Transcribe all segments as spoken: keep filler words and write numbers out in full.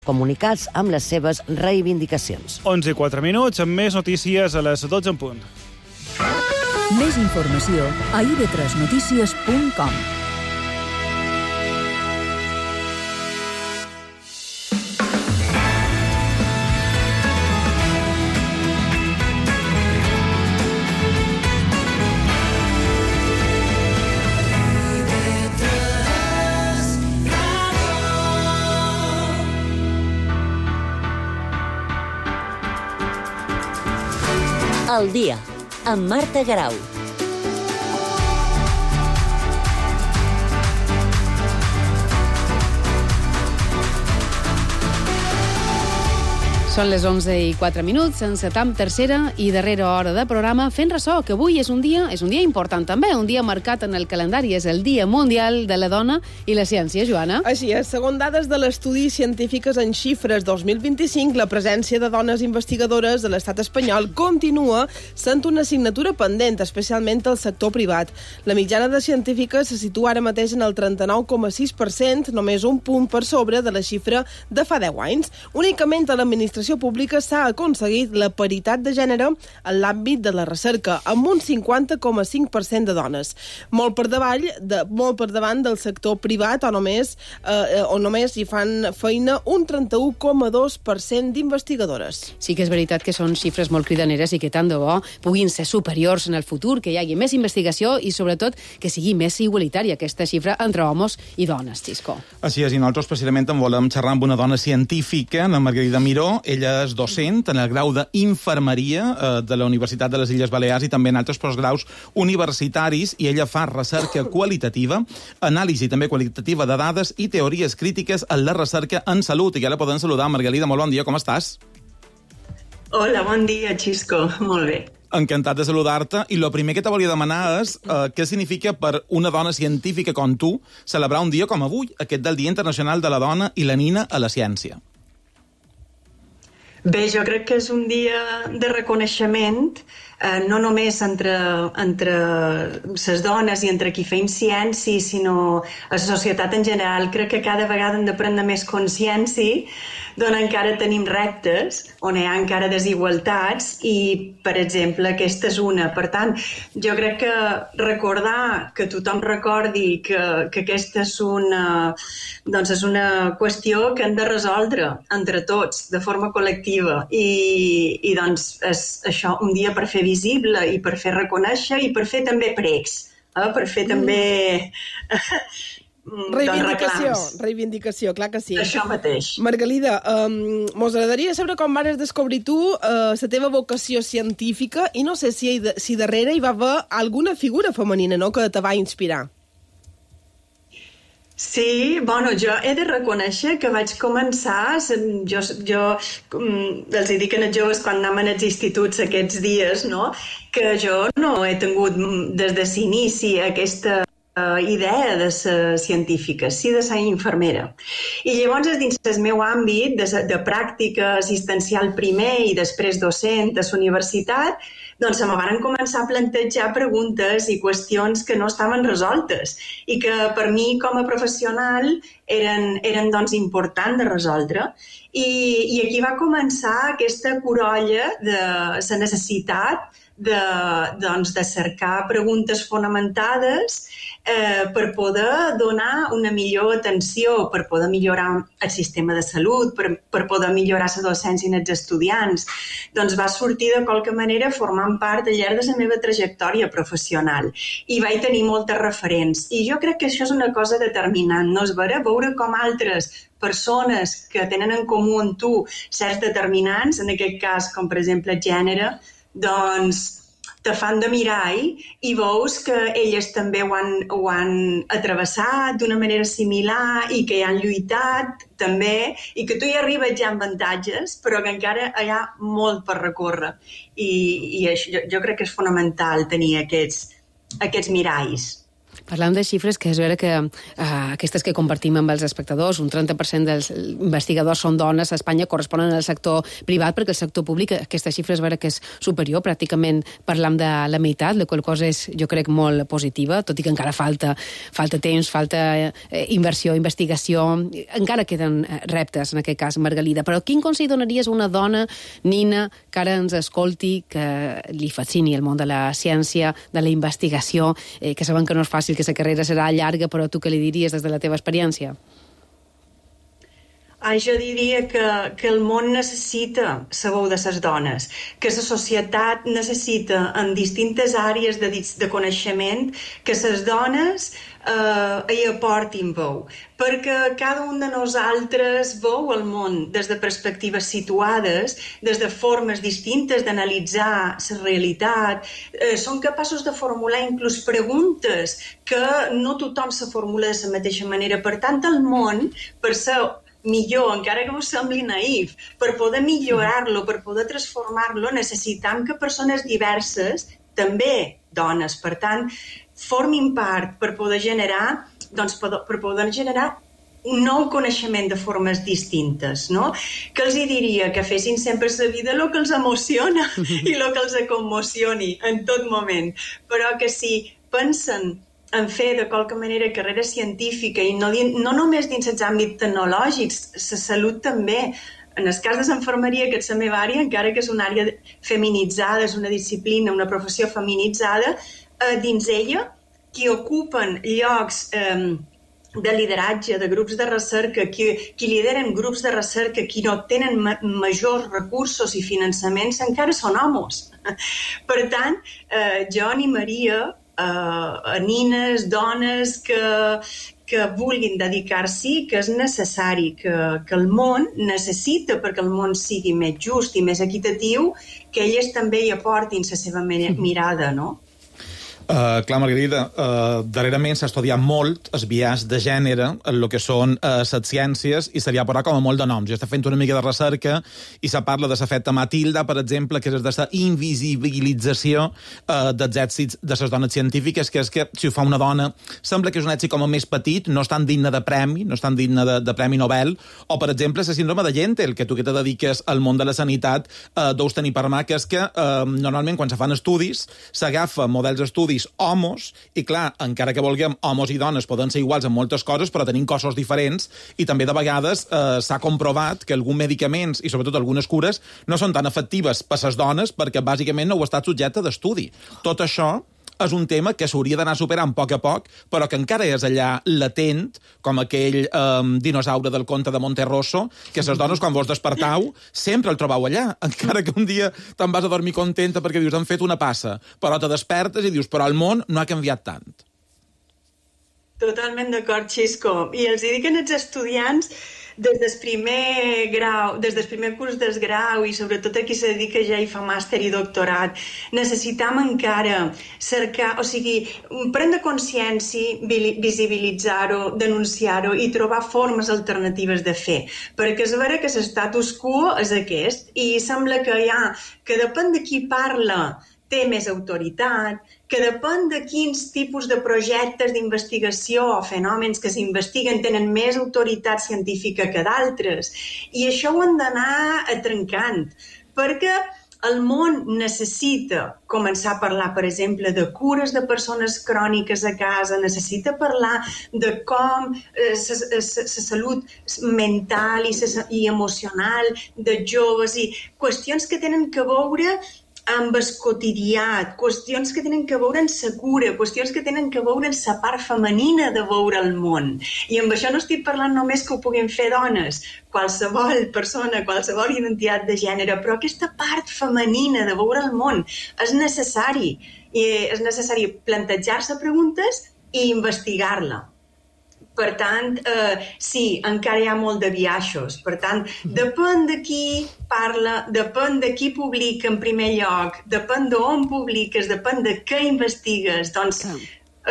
comunicats amb les seves reivindicacions. onze i quatre minuts, amb més notícies a les dotze en punt. Més informació a i de tres notícies punt com. Al dia, amb Marta Garau. Són les onze i quatre minuts, encetam tercera i darrera hora de programa fent ressò, que avui és un dia és un dia important també, un dia marcat en el calendari, és el Dia Mundial de la Dona i la Ciència, Joana. Així és, segons dades de l'estudi Científiques en Xifres dos mil vint-i-cinc, la presència de dones investigadores de l'estat espanyol continua sent una assignatura pendent, especialment al sector privat. La mitjana de científiques se situa ara mateix en el trenta-nou coma sis per cent, només un punt per sobre de la xifra de fa deu anys. Únicament a l'administració pública s'ha aconseguit la paritat de gènere en l'àmbit de la recerca, amb un cinquanta coma cinc per cent de dones. Molt per davall, de, molt per davant del sector privat, on només, eh, on només hi fan feina un trenta-u coma dos per cent d'investigadores. Sí que és veritat que són xifres molt cridaneres i que tant de bo puguin ser superiors en el futur, que hi hagi més investigació i, sobretot, que sigui més igualitària aquesta xifra entre homes i dones, Xisco. Així és, i nosaltres precisament en volem xerrar amb una dona científica, la Margarida Miró. Ella és docent en el grau d'Infermeria eh, de la Universitat de les Illes Balears i també en altres postgraus universitaris, i ella fa recerca qualitativa, anàlisi també qualitativa de dades i teories crítiques en la recerca en salut. I ja la podem saludar. Margarida, molt bon dia, com estàs? Hola, bon dia, Xisco. Molt bé. Encantat de saludar-te. I el primer que te volia demanar és eh, què significa per una dona científica com tu celebrar un dia com avui, aquest del Dia Internacional de la Dona i la Nina a la Ciència. Bé, jo crec que és un dia de reconeixement, eh, no només entre, entre les dones i entre qui feim ciència, sinó a la societat en general. Crec que cada vegada hem de prendre més consciència d'on encara tenim reptes, on hi ha encara desigualtats i, per exemple, aquesta és una. Per tant, jo crec que recordar, que tothom recordi que, que aquesta és una, doncs és una qüestió que hem de resoldre entre tots, de forma col·lectiva. I, i doncs és això, un dia per fer visible i per fer reconèixer i per fer també pregs, eh? Per fer també... Reivindicació, reivindicació, clar que sí. Això mateix. Margalida, um, mos agradaria saber com vas descobrir tu uh, la teva vocació científica i no sé si, si darrere hi va haver alguna figura femenina, no?, que te va inspirar. Sí, bueno, jo he de reconèixer que vaig començar, jo, jo els dic als joves quan anem als instituts aquests dies, no?, que jo no he tingut des de l'inici aquesta idea de ser científica, sí de ser infermera. I llavors, dins del meu àmbit de, de pràctica assistencial primer i després docent a la universitat, doncs se me van començar a plantejar preguntes i qüestions que no estaven resoltes i que per mi com a professional eren, eren doncs, importants de resoldre. I, I aquí va començar aquesta corolla de la necessitat de, doncs, de cercar preguntes fonamentades eh, per poder donar una millor atenció, per poder millorar el sistema de salut, per, per poder millorar la docència en els estudiants. Doncs va sortir de qualque manera formant part al llarg de la meva trajectòria professional i vaig tenir moltes referents. I jo crec que això és una cosa determinant, no és vera? Veure com altres persones que tenen en comú amb tu certs determinants, en aquest cas, com per exemple el gènere, doncs te fan de mirall i veus que elles també ho han, ho han atravessat d'una manera similar i que hi han lluitat també i que tu hi arribes ja amb avantatges, però que encara hi ha molt per recórrer. I, i això, jo, jo crec que és fonamental tenir aquests, aquests miralls. Parlam de xifres que és vera que uh, aquestes que compartim amb els espectadors, un trenta per cent dels investigadors són dones a Espanya, corresponen al sector privat, perquè el sector públic, aquesta xifra és vera que és superior, pràcticament parlam de la meitat, la qual cosa és, jo crec, molt positiva, tot i que encara falta, falta temps, falta eh, inversió, investigació, encara queden reptes en aquest cas, Margalida. Però quin consell donaries a una dona, Nina, que ara ens escolti, que li fascini el món de la ciència, de la investigació, eh, que saben que no és fàcil, que la carrera serà llarga, però tu què li diries des de la teva experiència? Ah, jo diria que, que el món necessita la veu de les dones, que la societat necessita en distintes àrees de, de coneixement que les dones eh, hi aportin veu, perquè cada un de nosaltres veu el món des de perspectives situades, des de formes distintes d'analitzar la realitat, eh, són capaços de formular inclús preguntes que no tothom se formula de la mateixa manera. Per tant, el món, per ser millor, encara que us sembli naïf, per poder millorar-lo, per poder transformar-lo, necessitam que persones diverses, també dones, per tant, formin part per poder generar, doncs, per poder generar un nou coneixement de formes distintes, no? Que els hi diria que fessin sempre a la vida el que els emociona i el que els commocioni en tot moment, però que si pensen en fer de qualque manera carrera científica i no, no només dins els àmbits tecnològics, la salut també. En el cas de l'enfermeria, que és la meva àrea, encara que és una àrea feminitzada, és una disciplina, una professió feminitzada, eh, dins ella, qui ocupen llocs eh, de lideratge, de grups de recerca, qui, qui lideren grups de recerca, qui no tenen ma majors recursos i finançaments, encara són homes. Per tant, eh, jo animaria a nines, dones que, que vulguin dedicar-s'hi, que és necessari, que, que el món necessita, perquè el món sigui més just i més equitatiu, que elles també hi aportin la seva mirada, no? Uh, clar, Margarida, uh, darrerament s'ha estudiat molt el biaix de gènere en el que són uh, les ciències i se li ha posat com a molt de noms. Jo estic fent una mica de recerca i se parla de l'efecte Matilda, per exemple, que és de la invisibilització uh, dels èxits de les dones científiques, que és que si ho fa una dona sembla que és un èxit com a més petit, no és tan digne de premi, no és tan digne de, de premi Nobel, o, per exemple, la síndrome de Gentel, que tu que te dediques al món de la sanitat uh, deus tenir per mà, que és que uh, normalment quan se fan estudis s'agafa models d'estudis homos, i clar, encara que vulguem, homes i dones poden ser iguals en moltes coses, però tenim cossos diferents, i també de vegades eh, s'ha comprovat que alguns medicaments, i sobretot algunes cures, no són tan efectives per a les dones perquè bàsicament no ho ha estat subjecte d'estudi. Tot això és un tema que s'hauria d'anar superant a poc a poc, però que encara és allà latent, com aquell eh, dinosaure del conte de Monterroso, que les dones, quan vos despertau, sempre el trobau allà, encara que un dia te'n vas a dormir contenta perquè dius, han fet una passa, però te despertes i dius, però el món no ha canviat tant. Totalment d'acord, Xisco. I els dic als estudiants, des del primer grau, des del primer curs del grau i sobretot a qui se dedica ja i fa màster i doctorat, necessitam encara cercar, o sigui, prendre consciència, visibilitzar-ho, denunciar-ho i trobar formes alternatives de fer. Perquè és vera que l'estatus quo és aquest i sembla que hi ha, que depèn de qui parla, té més autoritat, que depèn de quins tipus de projectes d'investigació o fenòmens que s'investiguen tenen més autoritat científica que d'altres. I això ho hem d'anar trencant, perquè el món necessita començar a parlar, per exemple, de cures de persones cròniques a casa, necessita parlar de com la salut mental i emocional de joves i qüestions que tenen que veure amb el quotidià, qüestions que tenen que veure amb la cura, qüestions que tenen que veure amb la part femenina de veure el món. I amb això no estic parlant només que ho puguin fer dones, qualsevol persona, qualsevol identitat de gènere, però aquesta part femenina de veure el món és necessari. I és necessari plantejar-se preguntes i investigar-la. Per tant, eh, sí, encara hi ha molt de biaixos. Per tant, depèn de qui parla, depèn de qui publica en primer lloc, depèn d'on publiques, depèn de què investigues. Doncs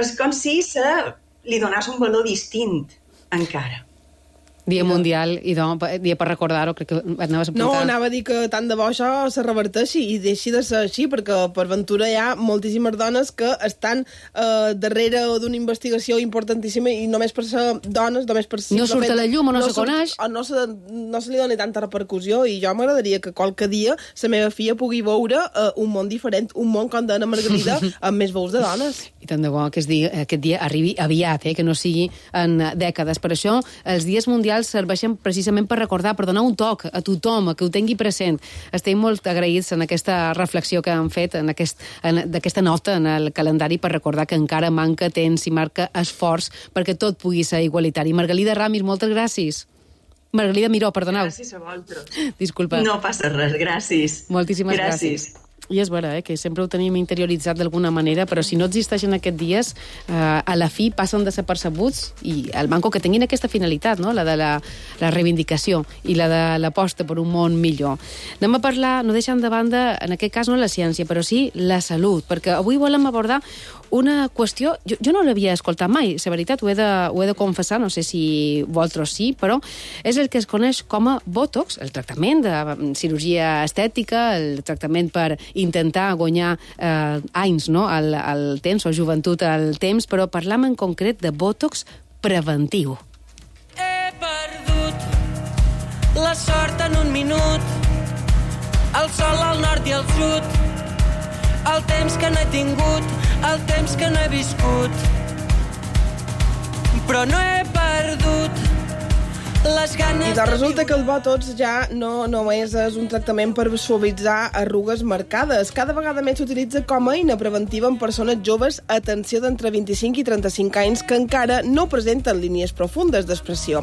és com si se li donàs un valor distint, encara. Dia mundial, i doncs, dia per recordar-ho, crec que anaves a apuntar. No, anava a dir que tant de bo això se reverteixi i deixi de ser així, perquè per ventura hi ha moltíssimes dones que estan eh, darrere d'una investigació importantíssima i només per ser dones, només per ser... No surt a la llum o no, no se surt, coneix. O no se, no se li doni tanta repercussió, i jo m'agradaria que qualque dia la meva filla pugui veure eh, un món diferent, un món, com deia Margarida, amb més veus de dones. I tant de bo que aquest dia, aquest dia arribi aviat, eh, que no sigui en dècades. Per això, els dies mundials serveixen precisament per recordar, per donar un toc a tothom, a que ho tingui present. Estem molt agraïts en aquesta reflexió que han fet, en aquest, en, d'aquesta nota en el calendari, per recordar que encara manca temps i marca esforç perquè tot pugui ser igualitari. Margalida Ramis, moltes gràcies. Margalida Miró, perdoneu. Gràcies a vosaltres. Disculpa. No passa res, gràcies. Moltíssimes gràcies. gràcies. I és vera, eh, que sempre ho tenim interioritzat d'alguna manera, però si no existeixen aquests dies, eh, a la fi passen de ser percebuts, i el manco que tinguin aquesta finalitat, no? La de la, la reivindicació i la de l'aposta per un món millor. Anem a parlar, no deixant de banda, en aquest cas no la ciència, però sí la salut, perquè avui volem abordar una qüestió, jo, jo no l'havia escoltat mai, la veritat, ho he, de, ho he de confessar, no sé si vosaltres sí, però és el que es coneix com a Botox, el tractament de cirurgia estètica, el tractament per intentar guanyar eh, anys, no?, al, al temps, o joventut al temps, però parlam en concret de Botox preventiu. He perdut la sort en un minut, el sol al nord i al sud, el temps que no he tingut, el temps que no he viscut, però no he perdut les ganes... I doncs resulta que el Botox ja no només és un tractament per suavitzar arrugues marcades. Cada vegada més s'utilitza com a eina preventiva en persones joves, atenció, d'entre vint-i-cinc i trenta-cinc anys, que encara no presenten línies profundes d'expressió.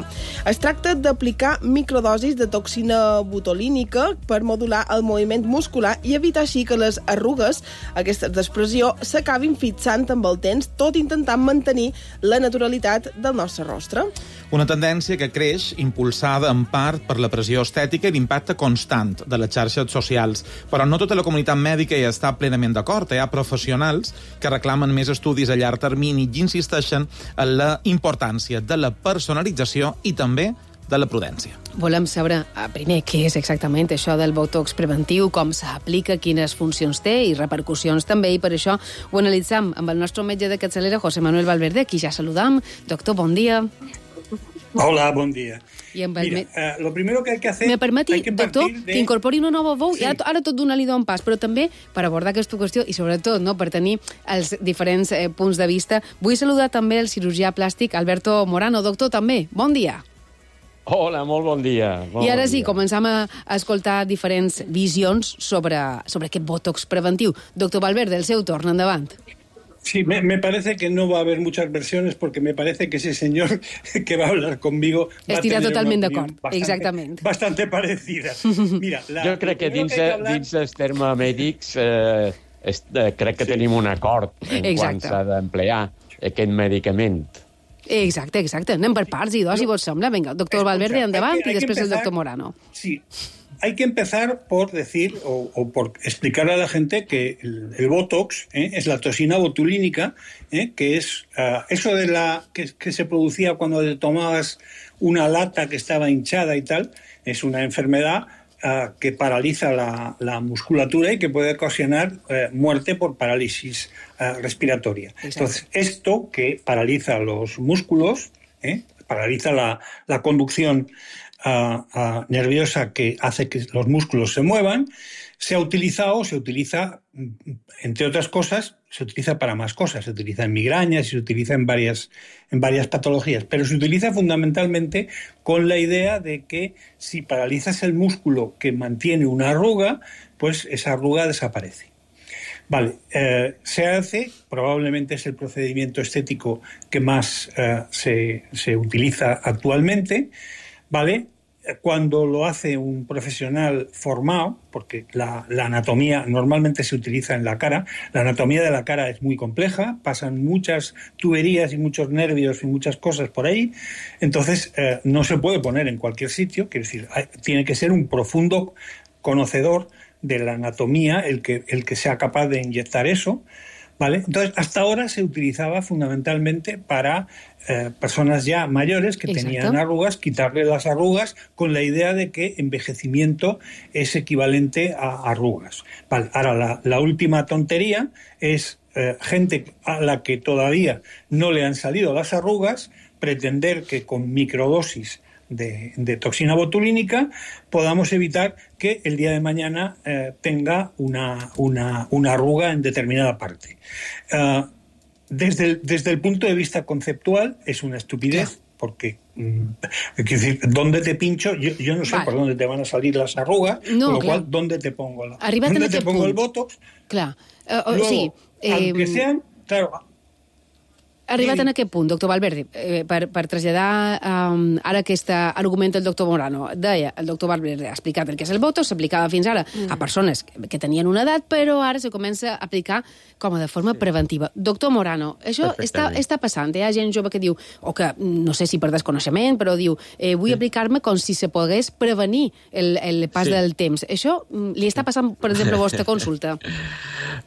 Es tracta d'aplicar microdosis de toxina botulínica per modular el moviment muscular i evitar així que les arrugues, aquestes d'expressió, s'acabin fixant amb el temps, tot intentant mantenir la naturalitat del nostre rostre. Una tendència que creix impulsada en part per la pressió estètica i l'impacte constant de les xarxes socials. Però no tota la comunitat mèdica hi està plenament d'acord. Hi ha professionals que reclamen més estudis a llarg termini i insisteixen en la importància de la personalització i també de la prudència. Volem saber, primer, què és exactament això del Botox preventiu, com s'aplica, quines funcions té i repercussions també, i per això ho analitzam amb el nostre metge de capçalera, José Manuel Valverde, qui ja saludam. Doctor, bon dia. Hola, bon dia. I amb el... Mira, uh, lo primero que hay que hacer... Me permeti, que doctor, de... que incorpori una nova veu, sí. i ara, ara tot donar-li un pas, però també per abordar aquesta qüestió i sobretot, no, per tenir els diferents eh, punts de vista. Vull saludar també el cirurgià plàstic Alberto Morano. Doctor, també, bon dia. Hola, molt bon dia. Molt I ara bon sí, dia. començam a escoltar diferents visions sobre, sobre aquest Botox preventiu. Doctor Valverde, el seu torn, endavant. Sí, me, me parece que no va a haber muchas versiones porque me parece que ese señor que va a hablar conmigo va Estirà a tener totalment una d'acord, opinión exactament. Bastante parecida. Mira, la, jo crec que dins, que que hablar... dins els termes mèdics eh, est, eh, crec que sí. tenim un acord en Exacte. quan s'ha d'emplear aquest medicament. Exacte, exacte. Anem per parts i dos, si vos sembla. Vinga, doctor Escucha, Valverde, endavant, que, i després empezar, el doctor Morano. Sí, hay que empezar por decir o, o por explicar a la gente que el, el Botox ¿eh? es la toxina botulínica, ¿eh? que es uh, eso de la que, que se producía cuando te tomabas una lata que estaba hinchada y tal, es una enfermedad uh, que paraliza la, la musculatura y que puede ocasionar uh, muerte por parálisis uh, respiratoria. Exacto. Entonces, esto que paraliza los músculos, ¿eh? paraliza la, la conducción Uh, uh, nerviosa que hace que los músculos se muevan, se ha utilizado, se utiliza, entre otras cosas, se utiliza para más cosas, se utiliza en migrañas y se utiliza en varias, en varias patologías, pero se utiliza fundamentalmente con la idea de que si paralizas el músculo que mantiene una arruga, pues esa arruga desaparece. Vale, eh, se hace, probablemente es el procedimiento estético que más eh, se, se utiliza actualmente, ¿vale? Cuando lo hace un profesional formado, porque la, la anatomía normalmente se utiliza en la cara, la anatomía de la cara es muy compleja, pasan muchas tuberías y muchos nervios y muchas cosas por ahí, entonces eh, no se puede poner en cualquier sitio, quiero decir, hay, tiene que ser un profundo conocedor de la anatomía el que, el que sea capaz de inyectar eso, ¿vale? Entonces, hasta ahora se utilizaba fundamentalmente para eh, personas ya mayores que Exacto. tenían arrugas, quitarle las arrugas con la idea de que envejecimiento es equivalente a arrugas. Vale, ahora, la, la última tontería es eh, gente a la que todavía no le han salido las arrugas, pretender que con microdosis De, de toxina botulínica podamos evitar que el día de mañana eh, tenga una, una, una arruga en determinada parte. Uh, desde, el, desde el punto de vista conceptual es una estupidez, porque mm, quiero decir, ¿dónde te pincho? Yo, yo no sé vale. por dónde te van a salir las arrugas, no, con lo clar. cual, ¿dónde te pongo, la, ¿dónde te pongo punt? el botox? Clar. Uh, uh, Luego, sí, eh, aunque sean, claro, arribat Sí. en aquest punt, doctor Valverde, eh, per, per traslladar um, ara aquest argument del doctor Morano, deia, el doctor Valverde ha explicat el que és el botox, s'aplicava fins ara mm. a persones que, que tenien una edat, però ara se comença a aplicar com a de forma sí. preventiva. Doctor Morano, això està, està passant. Hi ha gent jove que diu, o que no sé si per desconeixement, però diu, eh, vull sí. aplicar-me com si se pogués prevenir el, el pas sí. del temps. Això li està passant, per exemple, a vostra consulta?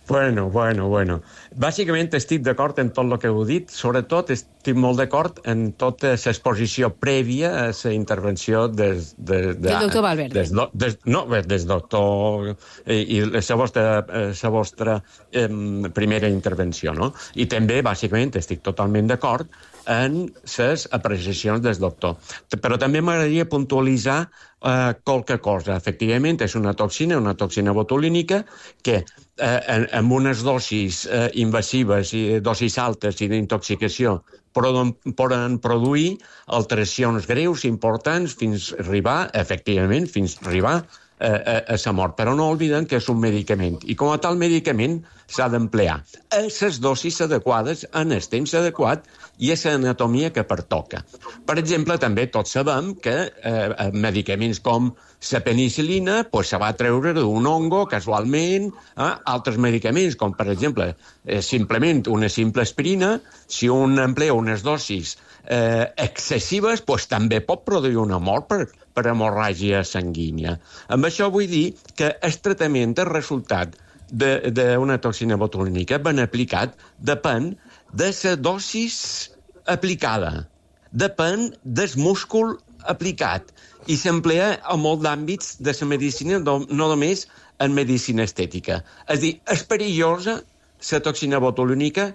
Bueno, bueno, bueno. Bàsicament estic d'acord en tot el que heu dit, sobretot estic molt d'acord en tota l'exposició prèvia a la intervenció des... des de, del doctor Valverde. Des, des, no, des doctor i, i la vostra, la vostra eh, primera intervenció, no? I també, bàsicament, estic totalment d'acord en les apreciacions del doctor. Però també m'agradaria puntualitzar eh, qualque cosa. Efectivament, és una toxina, una toxina botulínica, que eh, amb unes dosis eh, invasives i dosis altes i d'intoxicació poden, poden produir alteracions greus, importants, fins arribar, efectivament, fins arribar a, a, a la mort. Però no obliden que és un medicament. I com a tal medicament s'ha d'emplear a les dosis adequades, en el temps adequat i a l'anatomia que pertoca. Per exemple, també tots sabem que eh, medicaments com la penicil·lina pues, se va treure d'un hongo casualment, eh? Altres medicaments, com per exemple eh, simplement una simple aspirina, si un emplea unes dosis eh, excessives, pues, també pot produir una mort per, per hemorràgia sanguínia. Amb això vull dir que el tractament, el resultat d'una toxina botulínica ben aplicat depèn de la dosis aplicada, depèn del múscul aplicat i s'emplea a molt d'àmbits de la medicina, no només en medicina estètica. És a dir, és perillosa la toxina botulínica?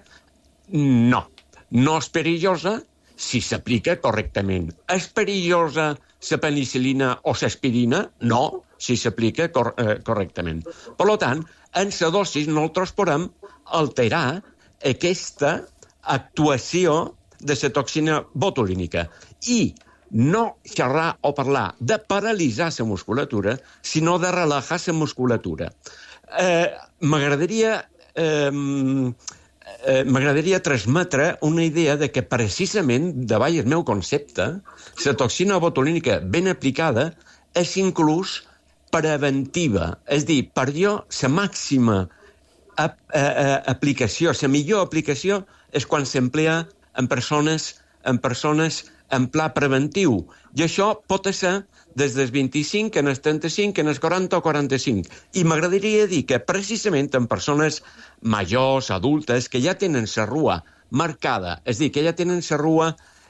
No. No és perillosa si s'aplica correctament. És perillosa la penicil·lina o l'aspirina? No, si s'aplica cor eh, correctament. Per tant, en la dosis nosaltres podem alterar aquesta actuació de la toxina botulínica i no xerrar o parlar de paralitzar la musculatura, sinó de relajar la musculatura. Eh, M'agradaria eh, eh, m'agradaria transmetre una idea de que precisament, davall el meu concepte, la toxina botulínica ben aplicada és inclús preventiva. És a dir, per jo, la màxima ap eh, aplicació, la millor aplicació és quan s'emplea en persones, en persones en pla preventiu. I això pot ser des dels vint-i-cinc, en els trenta-cinc, en els quaranta o quaranta-cinc. I m'agradaria dir que precisament en persones majors, adultes, que ja tenen la rua marcada, és a dir, que ja tenen la rua,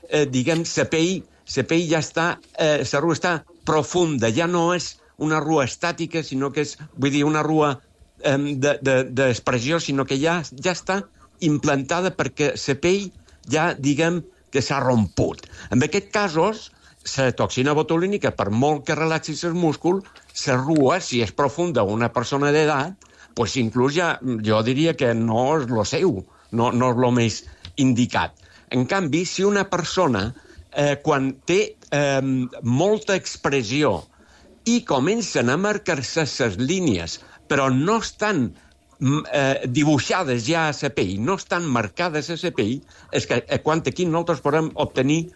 eh, diguem, la pell, la pell ja està, eh, la rua està profunda, ja no és una rua estàtica, sinó que és, vull dir, una rua eh, d'expressió, de, de, sinó que ja, ja està implantada perquè la pell ja, diguem, que s'ha romput. En aquests casos, la toxina botulínica, per molt que relaxi el múscul, la rua, si és profunda una persona d'edat, pues inclús ja, jo diria que no és el seu, no, no és el més indicat. En canvi, si una persona, eh, quan té eh, molta expressió i comencen a marcar-se les línies, però no estan eh, dibuixades ja a la pell, no estan marcades a la pell, és que eh, quan aquí nosaltres podem obtenir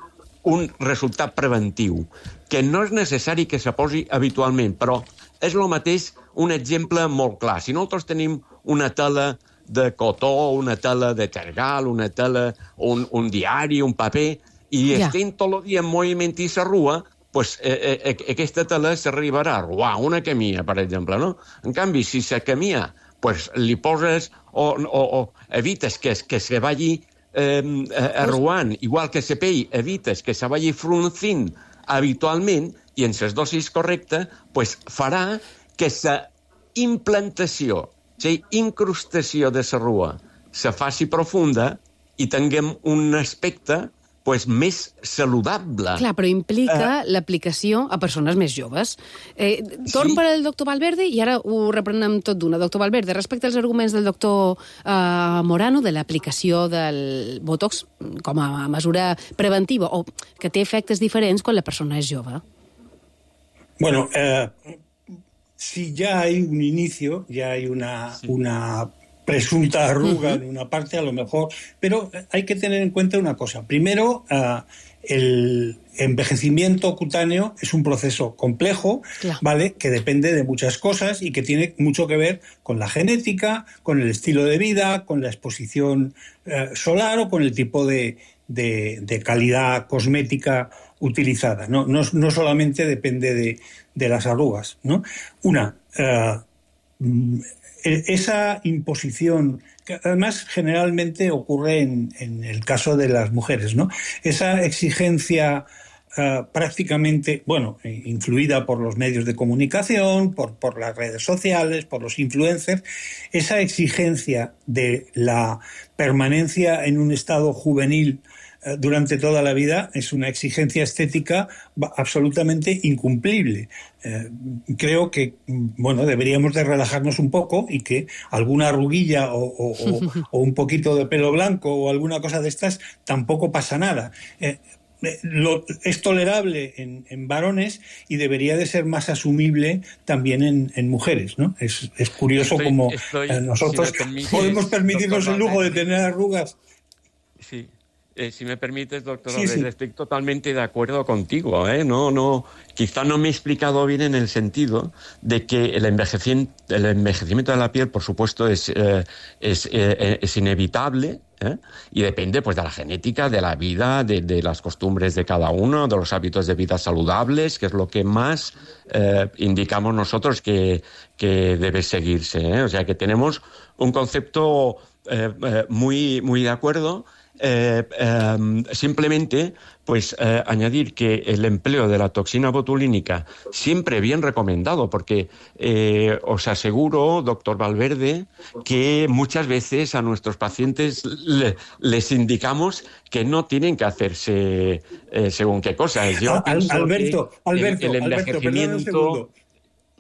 un resultat preventiu, que no és necessari que se posi habitualment, però és el mateix un exemple molt clar. Si nosaltres tenim una tela de cotó, una tela de tergal, una tela, un, un diari, un paper, i ja. estem tot el dia en moviment i la rua, pues, eh, eh, aquesta tela s'arribarà a robar una camia, per exemple, no? En canvi, si la camia pues li poses o, o, o evites que, que se vagi eh, arruant, igual que la pell, evites que se vagi fruncint habitualment, i en les dosis correctes, pues, farà que la implantació, la incrustació de la rua se faci profunda i tinguem un aspecte pues, més saludable. Clar, però implica uh, l'aplicació a persones més joves. Eh, torn sí. per al doctor Valverde i ara ho reprenem tot d'una. Doctor Valverde, respecte als arguments del doctor uh, Morano de l'aplicació del Botox com a mesura preventiva o que té efectes diferents quan la persona és jove. Bueno, eh, si ya hay un inicio, ya hay una... Sí. una presunta arruga uh-huh. en una parte, a lo mejor, pero hay que tener en cuenta una cosa. Primero, uh, el envejecimiento cutáneo es un proceso complejo, claro. ¿vale? Que depende de muchas cosas y que tiene mucho que ver con la genética, con el estilo de vida, con la exposición uh, solar o con el tipo de, de, de calidad cosmética utilizada. No, no, no solamente depende de, de las arrugas, ¿no? Una... Uh, esa imposición, que además generalmente ocurre en, en el caso de las mujeres, ¿no? Esa exigencia uh, prácticamente, bueno, influida por los medios de comunicación, por, por las redes sociales, por los influencers, esa exigencia de la permanencia en un estado juvenil durante toda la vida es una exigencia estética absolutamente incumplible. Eh, creo que, bueno, deberíamos de relajarnos un poco y que alguna arruguilla o, o, o, o un poquito de pelo blanco o alguna cosa de estas tampoco pasa nada. Eh, Lo, es tolerable en, en varones y debería de ser más asumible también en, en mujeres, ¿no? Es, es curioso estoy, como estoy, eh, nosotros si permites, podemos permitirnos el lujo de tener arrugas. Sí. Eh, si me permites, doctor, sí, sí. estoy totalmente de acuerdo contigo, ¿eh? No, no, quizá no me he explicado bien en el sentido de que el envejecimiento, el envejecimiento de la piel, por supuesto, es, eh, es, eh, es inevitable, ¿eh? Y depende pues de la genética, de la vida, de, de las costumbres de cada uno, de los hábitos de vida saludables, que es lo que más eh, indicamos nosotros que, que debe seguirse, ¿eh? O sea que tenemos un concepto eh, eh, muy, muy de acuerdo. Eh, eh, simplemente, pues, eh, añadir que el empleo de la toxina botulínica siempre bien recomendado, porque eh, os aseguro, doctor Valverde, que muchas veces a nuestros pacientes le, les indicamos que no tienen que hacerse eh, según qué cosas. Yo Al, pienso Alberto, que Alberto, el, el envejecimiento, Alberto,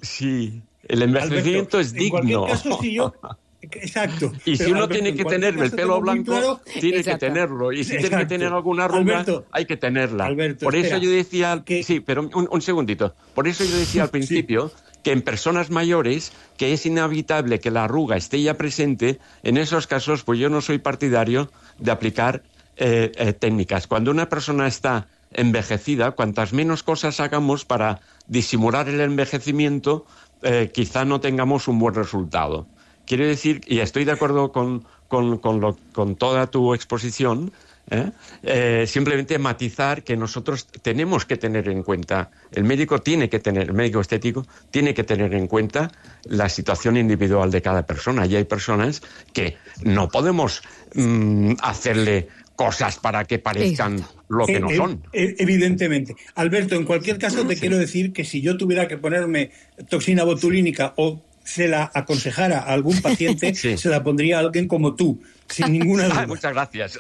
sí, el envejecimiento Alberto, es digno. En cualquier caso, si yo Exacto. Y si Pero, uno Alberto, tiene que tener el pelo blanco, claro, tiene exacto. que tenerlo. Y si Exacto. tiene que tener alguna arruga, Alberto, hay que tenerla. Alberto, Por eso espera, yo decía... que... Sí, pero un, un segundito. Por eso yo decía al principio sí. que en personas mayores, que es inevitable que la arruga esté ya presente, en esos casos, pues yo no soy partidario de aplicar eh, eh, técnicas. Cuando una persona está envejecida, cuantas menos cosas hagamos para disimular el envejecimiento, eh, quizá no tengamos un buen resultado. Quiero decir, y estoy de acuerdo con, con, con, lo, con toda tu exposición, ¿eh? Eh, simplemente matizar que nosotros tenemos que tener en cuenta, el médico tiene que tener, el médico estético tiene que tener en cuenta la situación individual de cada persona. Y hay personas que no podemos mmm, hacerle cosas para que parezcan Exacto. lo que no son. Eh, eh, evidentemente. Alberto, en cualquier caso te sí. quiero decir que si yo tuviera que ponerme toxina botulínica o se la aconsejara a algún paciente, sí. se la pondría a alguien como tú, sin ninguna duda. Ah, muchas gracias.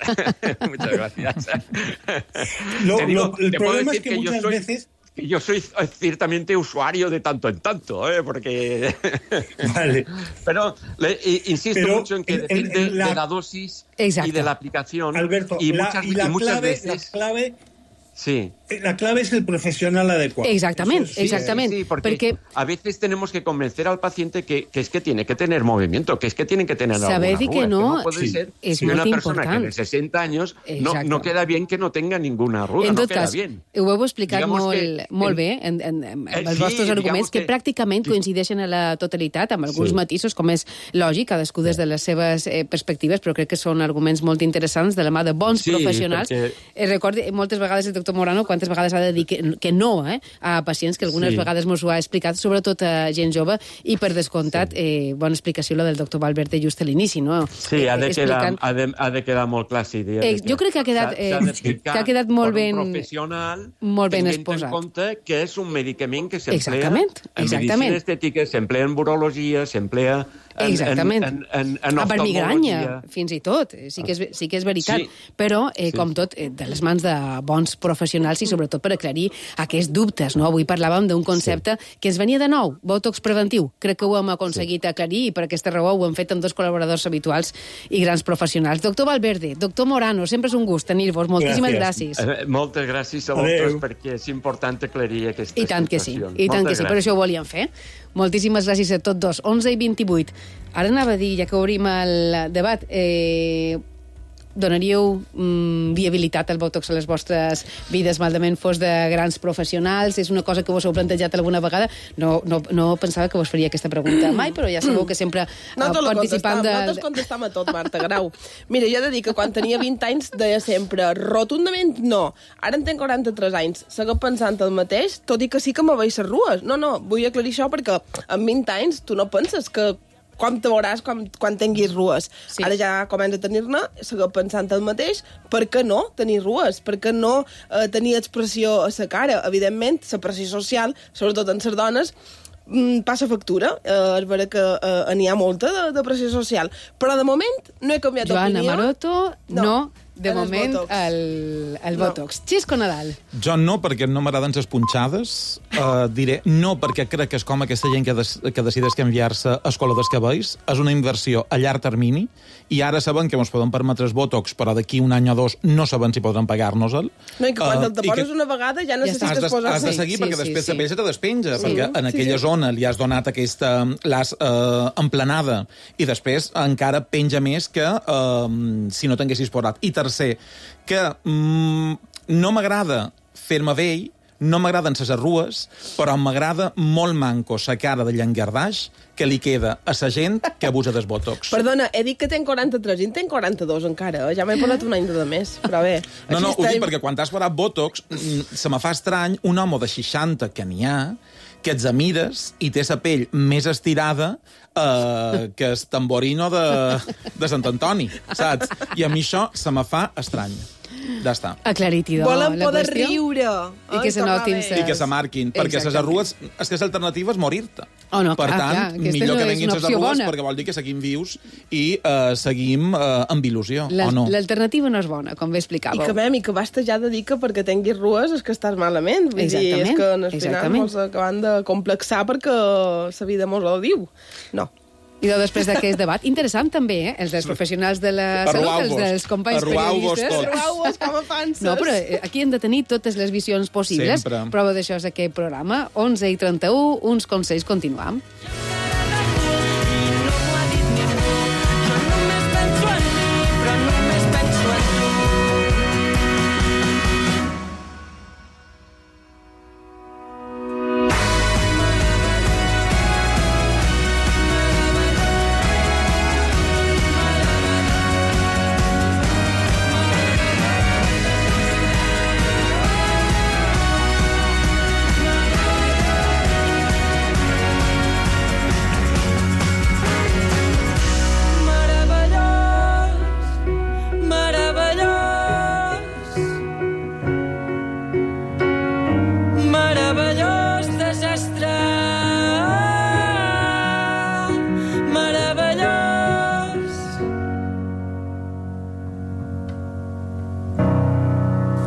muchas gracias. Lo, digo, lo, el problema es que, que muchas soy... veces... Yo soy ciertamente usuario de tanto en tanto, ¿eh? Porque... Vale. Pero le, insisto Pero mucho en que en, depende en la... de la dosis Exacto. y de la aplicación. Alberto, y la, muchas, y la, y muchas clave, veces... la clave... Sí. La clave es el profesional adecuado. Exactament, sí, exactament. Sí, sí, porque perquè a veces tenemos que convencer al paciente que, que es que tiene que tener movimiento, que es que tienen que tener Saber alguna que no, que no puede sí, ser és que molt una persona important. que de sesenta años no, Exacte. no queda bien que no tenga ninguna arruga, en no tot queda cas, bien. ho heu explicat Digamos molt, que, molt bé en, en, en, eh, els sí, vostres arguments, que, que pràcticament sí. coincideixen a la totalitat, amb alguns Sí. matisos, com és lògic, cadascú des de les seves eh, perspectives, però crec que són arguments molt interessants de la mà de bons Sí, professionals. perquè- Eh, recordi, moltes vegades el doctor Morano, quan tantes vegades ha de dir que, que no eh, a pacients, que algunes Sí. vegades mos ho ha explicat, sobretot a gent jove, i per descomptat, eh, bona explicació la del doctor Valverde just a l'inici, no? Sí, ha de, Eh, quedar, explicant- ha, de, ha de quedar molt clar, sí. De Eh, jo crec que ha quedat, s'ha- s'ha eh, d'explicar que ha quedat molt per ben- un professional, molt ben tenint exposat. en compte que és un medicament que s'emplea Exactament, en exactament. medicina estètica, s'emplea en urologia, s'emplea en, Exactament. en, en, en a per migranya, oftalmologia. fins i tot. Eh, Sí que és, sí que és veritat. Sí. Però, eh, Sí. com tot, eh, de les mans de bons professionals i sobretot per aclarir aquests dubtes. No? Avui parlàvem d'un concepte sí. que ens venia de nou, botox preventiu. Crec que ho hem aconseguit sí. aclarir i per aquesta raó ho hem fet amb dos col·laboradors habituals i grans professionals. Doctor Valverde, doctor Morano, sempre és un gust tenir-vos. Moltíssimes gràcies. gràcies. Eh, moltes gràcies a vosaltres perquè és important aclarir aquestes I tant que sí, situacions. i tant Moltes que sí, per gràcies. això ho volíem fer. Moltíssimes gràcies a tots dos. onze i vint-i-vuit. Ara anava a dir, ja que obrim el debat, eh, donaríeu mm, viabilitat al botox a les vostres vides, maldament fos de grans professionals? És una cosa que vos heu plantejat alguna vegada? No, no, no pensava que vos faria aquesta pregunta mai, però ja sabeu que sempre No eh, te la participant contestam, de... nosaltres contestam a tot, Marta Grau. Mira, jo he de dir que quan tenia vint anys deia sempre rotundament no. Ara en tinc quaranta-tres anys, segueixo pensant el mateix, tot i que sí que me veig les rues. No, no, vull aclarir això perquè amb vint anys tu no penses que com te veuràs quan, quan tinguis rues. Sí. Ara ja comença a tenir-ne, segueixo pensant el mateix, per què no tenir rues? Per què no eh, tenir expressió a la cara? Evidentment, la pressió social, sobretot en les dones, mm, passa factura. Eh, és vera que eh, n'hi ha molta de, de pressió social. Però de moment no he canviat Joana d'opinió. Maroto, no, no de en els moment botox. el, el No. botox. Xisco Nadal. Jo no, perquè no m'agraden les punxades. Uh, diré no, perquè crec que és com aquesta gent que, des, que decideix canviar-se a escola dels cabells. És una inversió a llarg termini i ara saben que ens poden permetre els botox, però d'aquí un any o dos no saben si podran pagar-nos-el. No, i que quan Uh, te'l i poses que- una vegada ja Has necessites de, posar-se. has de seguir Sí, perquè sí, després sí. la pell se te despenja, Sí. perquè en Sí, aquella sí. zona li has donat aquesta... l'has eh, emplenada i després encara penja més que eh, si no t'haguessis posat. I tercer, que mm, no m'agrada fer-me vell, no m'agraden ses arrues, però m'agrada molt manco sa cara de llangardaix que li queda a sa gent que abusa dels botox. Perdona, he dit que tenc quaranta-tres i en tenc quaranta-dos encara. eh? Ja m'he posat un any de més, però bé. No, així no, ho dic estem. perquè quan t'has parat botox mm, se me fa estrany un home de seixanta que n'hi ha que ets mires i té la pell més estirada eh, que el tamborino de, de Sant Antoni, saps? I a mi això se me fa estrany. Ja està. Aclarit, idò, Volen la poder qüestió. riure. I que Ai, se tornar notin bé. ses- I que se marquin, perquè les Exactament. arrues... És que l'alternativa és morir-te. Oh, no, per clar, tant, clar, aquesta millor no que és venguin una les opció arrues bona. perquè vol dir que seguim vius i eh, seguim eh, amb il·lusió, La- o no? L'alternativa no és bona, com bé I explicàveu. que, mem, i que basta ja de dir que perquè tinguis rues és que estàs malament. Vull dir, és Exactament, que al final exactament. mos acaben de complexar perquè la vida mos ho diu. No. I després d'aquest debat, interessant també, eh? Els dels professionals de la salut, els Arruau-vos. dels companys Arruau-vos periodistes. tots. Arruau-vos com a panses. No, però eh, aquí hem de tenir totes les visions possibles. Sempre. Prova d'això és aquest programa. onze i trenta-u, uns consells, continuam. Meravellós desastre. Meravellós.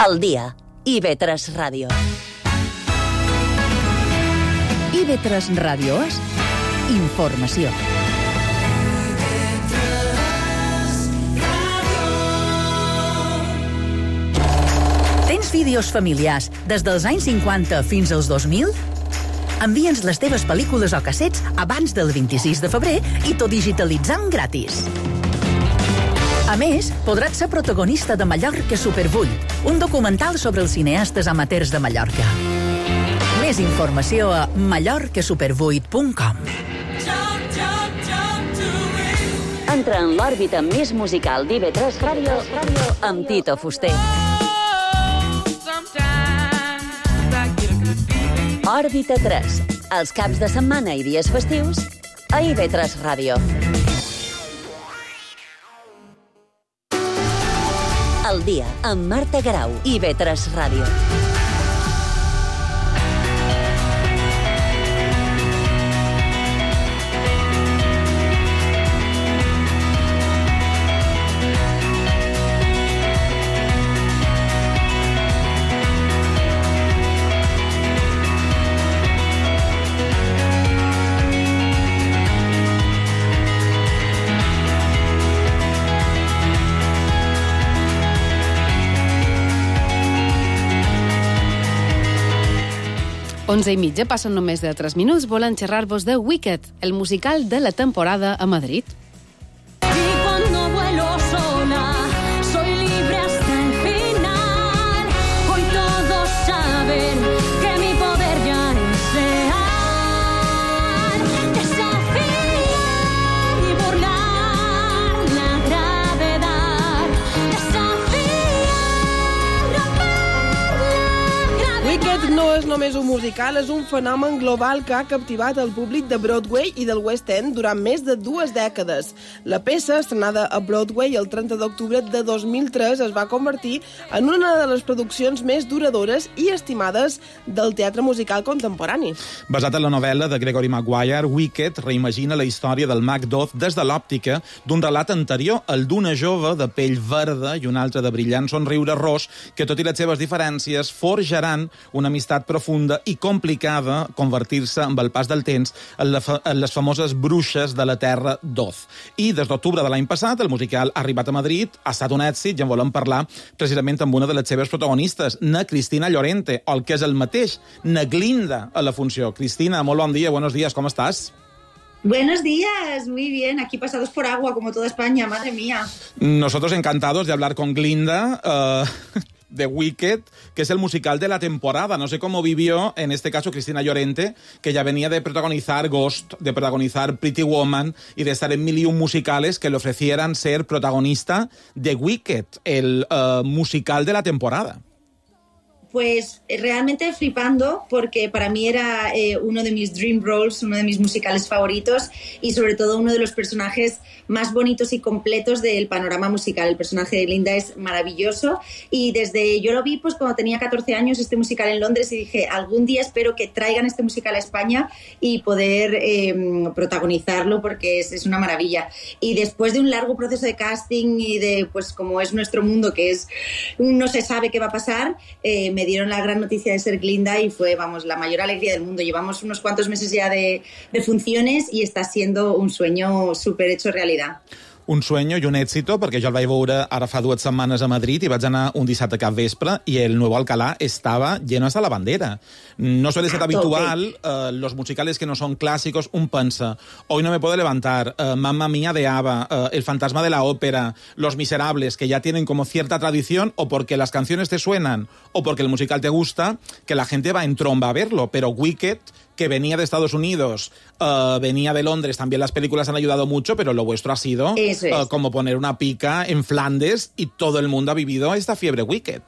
El dia. I ve tres Ràdio. I ve tres Ràdios. Informació. Tens vídeos familiars des dels anys cinquanta fins als dos mil? Envia'ns les teves pel·lícules o cassets abans del vint-i-sis de febrer i t'ho digitalitzam gratis. A més, podràs ser protagonista de Mallorca Supervull, un documental sobre els cineastes amateurs de Mallorca. Més informació a mallorca supervuit punt com. Entra en l'òrbita més musical d'I V tres Ràdio amb Tito Fuster. Sometimes Òrbita tres, els caps de setmana i dies festius a I V tres Ràdio. El dia amb Marta Garau, I V tres Ràdio. onze i mitja, passen només de tres minuts, volen xerrar-vos de Wicked, el musical de la temporada a Madrid. Y cuando vuelo sola, soy libre hasta el final. Hoy todos saben que mi poder ya es real. Desafiar y burlar la gravedad. Desafiar, romper la gravedad. Wicked no és només un musical, és un fenomen global que ha captivat el públic de Broadway i del West End durant més de dues dècades. La peça, estrenada a Broadway el trenta d'octubre de dos mil tres, es va convertir en una de les produccions més duradores i estimades del teatre musical contemporani. Basat en la novel·la de Gregory Maguire, Wicked reimagina la història del Macduff des de l'òptica d'un relat anterior, el d'una jove de pell verda i un altre de brillant somriure ros, que tot i les seves diferències forjaran una amistat profunda i complicada convertir-se amb el pas del temps en, la fa en les famoses bruixes de la terra d'Oz. I des d'octubre de l'any passat el musical ha arribat a Madrid, ha estat un èxit i en volem parlar precisament amb una de les seves protagonistes, na Cristina Llorente, o el que és el mateix, na Glinda a la funció. Cristina, molt bon dia, buenos días, ¿cómo estás? Buenos días, muy bien, aquí pasados por agua como toda España, madre mía. Nosotros encantados de hablar con Glinda, uh, de Wicked, que es el musical de la temporada. No sé cómo vivió, en este caso, Cristina Llorente, que ya venía de protagonizar Ghost, de protagonizar Pretty Woman y de estar en mil y un musicales que le ofrecieran ser protagonista de Wicked, el uh, musical de la temporada. Pues realmente flipando, porque para mí era eh, uno de mis dream roles, uno de mis musicales favoritos y sobre todo uno de los personajes más bonitos y completos del panorama musical. El personaje de Glinda es maravilloso y desde yo lo vi pues cuando tenía catorce años, este musical en Londres, y dije, algún día espero que traigan este musical a España y poder eh, protagonizarlo, porque es, es una maravilla. Y después de un largo proceso de casting y de, pues como es nuestro mundo, que es no se sabe qué va a pasar, eh, me Me dieron la gran noticia de ser Glinda y fue, vamos, la mayor alegría del mundo. Llevamos unos cuantos meses ya de, de funciones y está siendo un sueño súper hecho realidad. Un sueño i un èxito, perquè jo el vaig veure ara fa dues setmanes a Madrid i vaig anar un dissabte cap vespre i el Nuevo Alcalá estaba lleno hasta la bandera. No suele ser habitual, uh, los musicales que no son clásicos, un pensa, Hoy no me puedo levantar, uh, Mamma Mía de ABBA, uh, El fantasma de la ópera, Los Miserables, que ya tienen como cierta tradición, o porque las canciones te suenan o porque el musical te gusta, que la gente va en tromba a verlo, pero Wicked, que venía de Estados Unidos, uh, venía de Londres, también las películas han ayudado mucho, pero lo vuestro ha sido es. uh, como poner una pica en Flandes y todo el mundo ha vivido esta fiebre Wicked.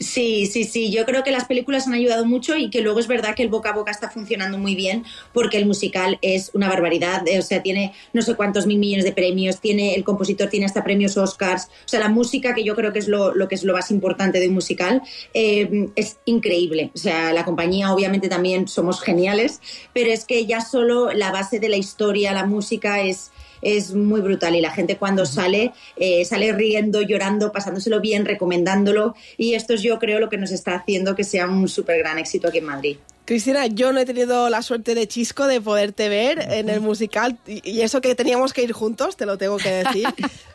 Sí, sí, sí. Yo creo que las películas han ayudado mucho y que luego es verdad que el boca a boca está funcionando muy bien, porque el musical es una barbaridad. O sea, tiene no sé cuántos mil millones de premios, tiene el compositor tiene hasta premios Oscars. O sea, la música, que yo creo que es lo, lo que es lo más importante de un musical, eh, es increíble. O sea, la compañía obviamente también somos geniales, pero es que ya solo la base de la historia, la música es... es muy brutal y la gente cuando sale, eh, sale riendo, llorando, pasándoselo bien, recomendándolo, y esto es yo creo lo que nos está haciendo que sea un súper gran éxito aquí en Madrid. Cristina, yo no he tenido la suerte de Chisco de poderte ver en el musical, y eso que teníamos que ir juntos, te lo tengo que decir.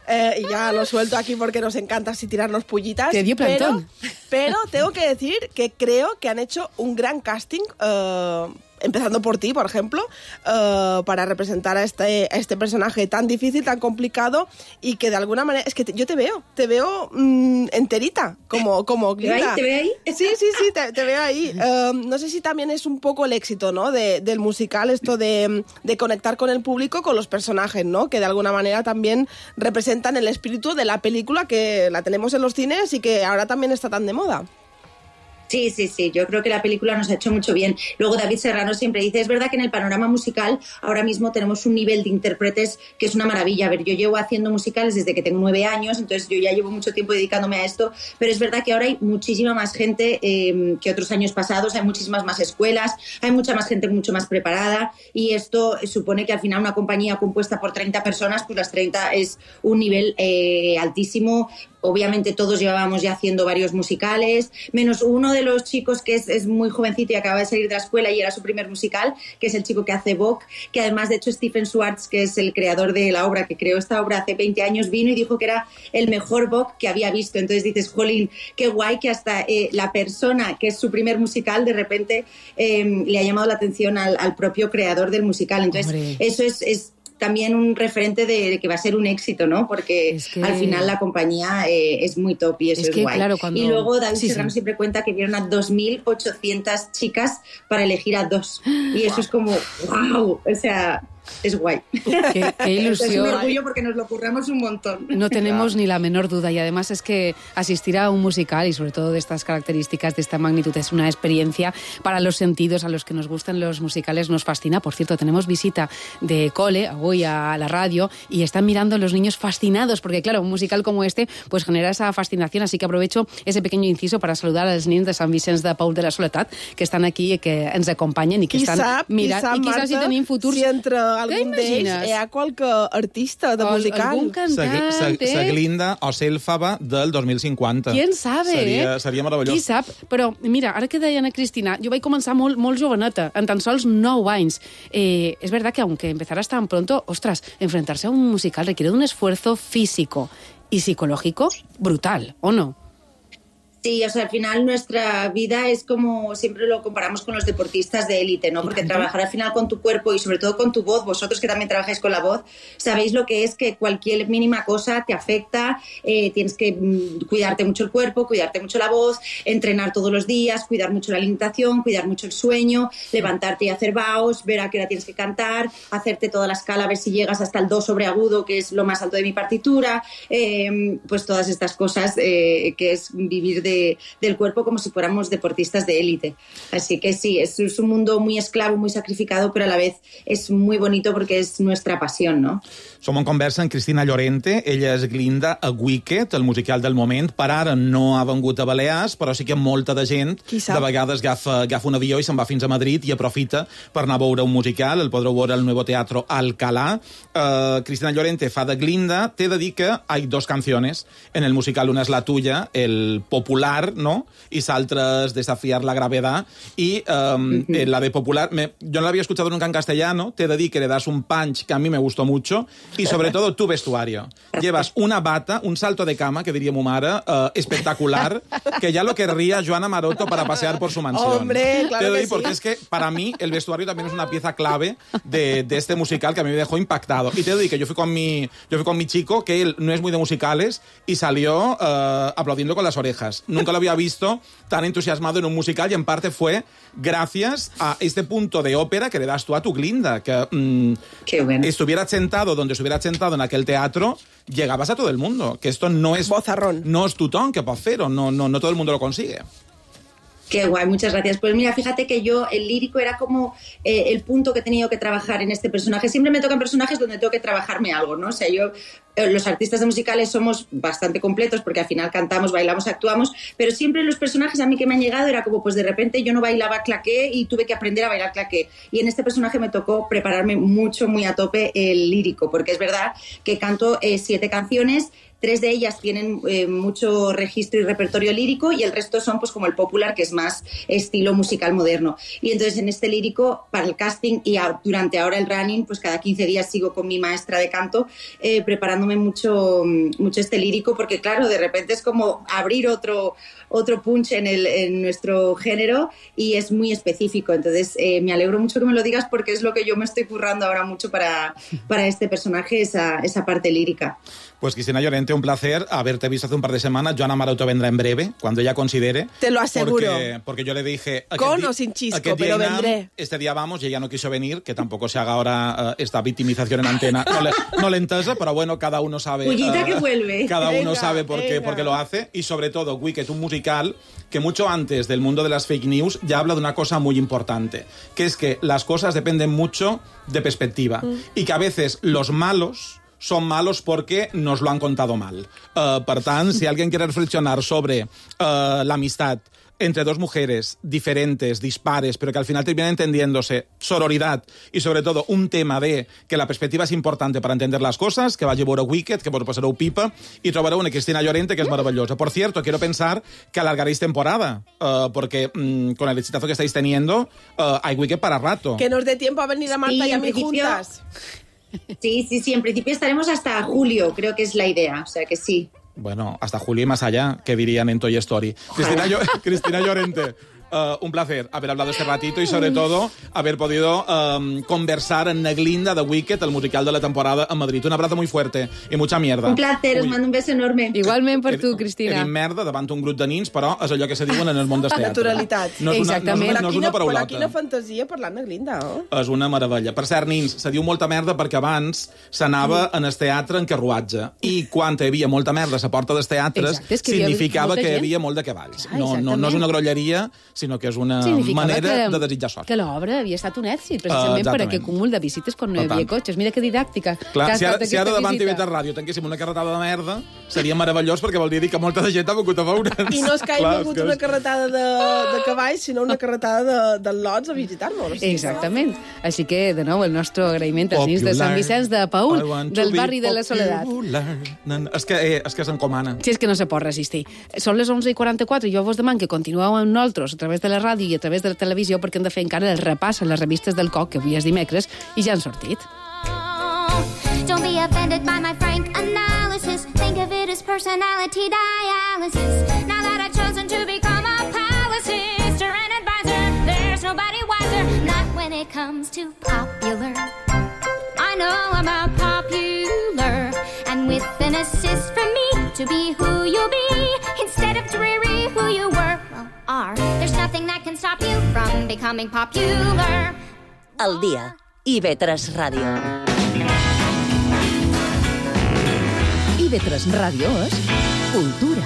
Eh, y ya lo suelto aquí porque nos encanta así tirarnos pullitas. Te dio plantón. Pero, pero tengo que decir que creo que han hecho un gran casting, uh, empezando por ti, por ejemplo, uh, para representar a este, a este personaje tan difícil, tan complicado, y que de alguna manera... Es que te, yo te veo, te veo mmm, enterita, como, como Glinda. ¿Te veo ahí? Sí, sí, sí, te, te veo ahí. Uh, no sé si también es un poco el éxito, ¿no?, de, del musical, esto de, de conectar con el público, con los personajes, ¿no?, que de alguna manera también representan el espíritu de la película, que la tenemos en los cines y que ahora también está tan de moda. Sí, sí, sí, yo creo que la película nos ha hecho mucho bien. Luego David Serrano siempre dice, es verdad que en el panorama musical ahora mismo tenemos un nivel de intérpretes que es una maravilla. A ver, yo llevo haciendo musicales desde que tengo nueve años, entonces yo ya llevo mucho tiempo dedicándome a esto, pero es verdad que ahora hay muchísima más gente eh, que otros años pasados, hay muchísimas más escuelas, hay mucha más gente mucho más preparada y esto supone que al final una compañía compuesta por treinta personas, pues las treinta es un nivel eh, altísimo. Obviamente todos llevábamos ya haciendo varios musicales, menos uno de los chicos que es, es muy jovencito y acaba de salir de la escuela y era su primer musical, que es el chico que hace Bok, que además de hecho Stephen Schwartz, que es el creador de la obra, que creó esta obra hace veinte años, vino y dijo que era el mejor Bok que había visto. Entonces dices, jolín, qué guay que hasta eh, la persona que es su primer musical de repente eh, le ha llamado la atención al, al propio creador del musical. Entonces Hombre. eso es... es también un referente de, de que va a ser un éxito, ¿no? Porque es que... al final la compañía eh, es muy top y eso es, es que, guay. Claro, cuando... Y luego David sí, Serrano sí. siempre cuenta que vieron a dos mil ochocientas chicas para elegir a dos. Y eso es como, wow, o sea... es guay. Qué, qué ilusión. Es un orgullo porque nos lo curramos un montón. No tenemos ni la menor duda y además es que asistir a un musical y sobre todo de estas características, de esta magnitud, es una experiencia para los sentidos. A los que nos gustan los musicales nos fascina. Por cierto, tenemos visita de cole hoy a la radio y están mirando los niños fascinados porque claro, un musical como este pues genera esa fascinación, así que aprovecho ese pequeño inciso para saludar als nens de Sant Vicenç de Paul de la Soledat que estan aquí i que ens acompanyen i que qui estan sap, mirant. Qui sap, I qui sap si tenim futurs... si entre algun d'ells hi ha qualque artista de o musical. algun cantant, Sag eh? Saglinda o Sélfaba del dos mil cinquanta. Quién sabe, seria, eh? Seria meravellós. Qui sap? Però, mira, ara que deia Ana Cristina, jo vaig començar molt, molt joveneta, en tan sols nou anys. Eh, es verdad que aunque empezaras tan pronto, ostras, enfrentarse a un musical requiere un esfuerzo físico y psicológico brutal, ¿o no? Sí, o sea, al final nuestra vida es como, siempre lo comparamos con los deportistas de élite, ¿no? Porque trabajar al final con tu cuerpo y sobre todo con tu voz, vosotros que también trabajáis con la voz, sabéis lo que es que cualquier mínima cosa te afecta, eh, tienes que mm, cuidarte mucho el cuerpo, cuidarte mucho la voz, entrenar todos los días, cuidar mucho la alimentación, cuidar mucho el sueño, levantarte y hacer vaos, ver a qué hora tienes que cantar, hacerte toda la escala, a ver si llegas hasta el do sobreagudo, que es lo más alto de mi partitura, eh, pues todas estas cosas eh, que es vivir de De, del cuerpo como si fuéramos deportistas de élite. Así que sí, es, es un mundo muy esclavo, muy sacrificado, pero a la vez es muy bonito porque es nuestra pasión, ¿no? Som en conversa amb Cristina Llorente, ella és Glinda a Wicked, el musical del moment. Per ara no ha vengut a Balears, però sí que molta de gent de vegades agafa, agafa un avió i se'n va fins a Madrid i aprofita per anar a veure un musical. El podreu veure al Nuevo Teatro Alcalá. Uh, Cristina Llorente fa de Glinda. T'he de dir que hay dos canciones en el musical. Una és la tuya, el popular, ¿no? Y Saltras, Desafiar la gravedad. Y um, uh-huh. la de popular, me, yo no la había escuchado nunca en castellano. Te he de decir que le das un punch que a mí me gustó mucho. Y sobre todo tu vestuario. Llevas una bata, un salto de cama, que diría mu mare, uh, espectacular, que ya lo querría Joana Maroto para pasear por su mansión. Hombre, claro te doy que sí. Porque es que para mí el vestuario también es una pieza clave de, de este musical que a mí me dejó impactado. Y te doy que yo fui con mi, yo fui con mi chico, que él no es muy de musicales, y salió uh, aplaudiendo con las orejas. Nunca lo había visto tan entusiasmado en un musical y en parte fue gracias a este punto de ópera que le das tú a tu Glinda, que mm, Qué bueno. estuvieras sentado donde estuvieras sentado en aquel teatro, llegabas a todo el mundo, que esto no es Bozarrón. No es tutón que puede hacer, o no, no, no todo el mundo lo consigue. Qué guay, muchas gracias. Pues mira, fíjate que yo, el lírico era como eh, el punto que he tenido que trabajar en este personaje. Siempre me tocan personajes donde tengo que trabajarme algo, ¿no? O sea, yo, eh, los artistas de musicales somos bastante completos porque al final cantamos, bailamos, actuamos, pero siempre los personajes a mí que me han llegado era como, pues de repente yo no bailaba claqué y tuve que aprender a bailar claqué. Y en este personaje me tocó prepararme mucho, muy a tope el lírico, porque es verdad que canto eh, siete canciones. Tres de ellas tienen eh, mucho registro y repertorio lírico y el resto son pues como el popular, que es más estilo musical moderno. Y entonces en este lírico, para el casting y a, durante ahora el running, pues cada quince días sigo con mi maestra de canto eh, preparándome mucho, mucho este lírico, porque claro, de repente es como abrir otro, otro punch en, el, en nuestro género y es muy específico. Entonces eh, me alegro mucho que me lo digas porque es lo que yo me estoy currando ahora mucho para, para este personaje, esa, esa parte lírica. Pues Cristina Llorente, un placer haberte visto hace un par de semanas. Joan Amaruto vendrá en breve, cuando ella considere. Te lo aseguro. Porque, porque yo le dije... Con o sin chisco, pero Inam, vendré. Este día vamos y ella no quiso venir, que tampoco se haga ahora uh, esta victimización en antena. No le, no le entesa, pero bueno, cada uno sabe... Pullita uh, que vuelve. Cada Venga, uno sabe por qué, por qué lo hace. Y sobre todo, Wicked, un musical que mucho antes del mundo de las fake news ya habla de una cosa muy importante, que es que las cosas dependen mucho de perspectiva. Mm. Y que a veces los malos son malos porque nos lo han contado mal. Uh, per tant, si alguien quiere reflexionar sobre uh, la amistad entre dos mujeres diferentes, dispares, pero que al final terminan entendiéndose, sororidad y sobre todo un tema de que la perspectiva es importante para entender las cosas, que vagi a veure Wicked, que vos pasareu pipa, y trobareu una Cristina Llorente que es maravillosa. Por cierto, quiero pensar que alargaréis temporada, uh, porque um, con el exitazo que estáis teniendo, uh, hay Wicked para rato. Que nos dé tiempo a venir a Marta Sí, y a en mí principio- juntas. Sí, sí, sí, en principio estaremos hasta julio, creo que es la idea, o sea que sí. Bueno, hasta julio y más allá, que dirían en Toy Story. Cristina, Llo- Cristina Llorente, uh, un placer haber hablado este ratito y sobre todo haber podido um, conversar en Neglinda de Wicked, el musical de la temporada en Madrid. Un abrazo muy fuerte i mucha mierda. Un placer, us mando un beso enorme. Igualment per tu, He Cristina. dit merda davant un grup de nins, però és allò que se diuen en el món del teatre. Naturalitat. No és una, no és una, no és una Però paraulota. quina fantasia parlant de Glinda, oh? És una meravella. Per cert, nins, se diu molta merda perquè abans s'anava en el teatre en carruatge. I quan hi havia molta merda a la porta dels teatres, Exacte, és que hi havia significava molta que hi gent. havia molt de cavalls. Clar, No, no, no és una grolleria, sinó que és una Significava manera que, de desitjar sort. que l'obra havia estat un èxit, Uh, precisament per exactament. aquest cúmul de visites quan no hi Per havia tant. cotxes. Mira que didàctica. Clar, que ha si ara, estat si ara aquesta davant visita. T V tres Ràdio tanquéssim una carretada de merda, seria meravellós perquè vol dir que molta de gent ha vingut a veure'ns. I no és que hagi Clar, vingut és que una és- carretada de, de cavalls, sinó una carretada de, de lots a visitar-nos. O sigui, Exactament. Així que, de nou, el nostre agraïment als nins de Sant Vicenç de I Paül, want to del be barri de la Soledat. popular. No, no, És que, eh, és que s'encomana. Si és que no se pot resistir. Són les onze i quaranta-quatre i jo vos deman que continueu amb nosaltres a través de la ràdio i a través de la televisió perquè hem de fer encara el repàs a les revistes del C O C, que avui és dimecres, i ja han sortit. Don't be offended by my frank analysis. Think of it as personality dialysis. Now that I've chosen to become a palace sister and advisor, there's nobody wiser. Not when it comes to popular. I know about popular, and with an assist from me to be who you'll be instead of dreary who you were, well, are. There's nothing that can stop you from becoming popular. El dia. I V tres Ràdio. I V tres Ràdio és cultura.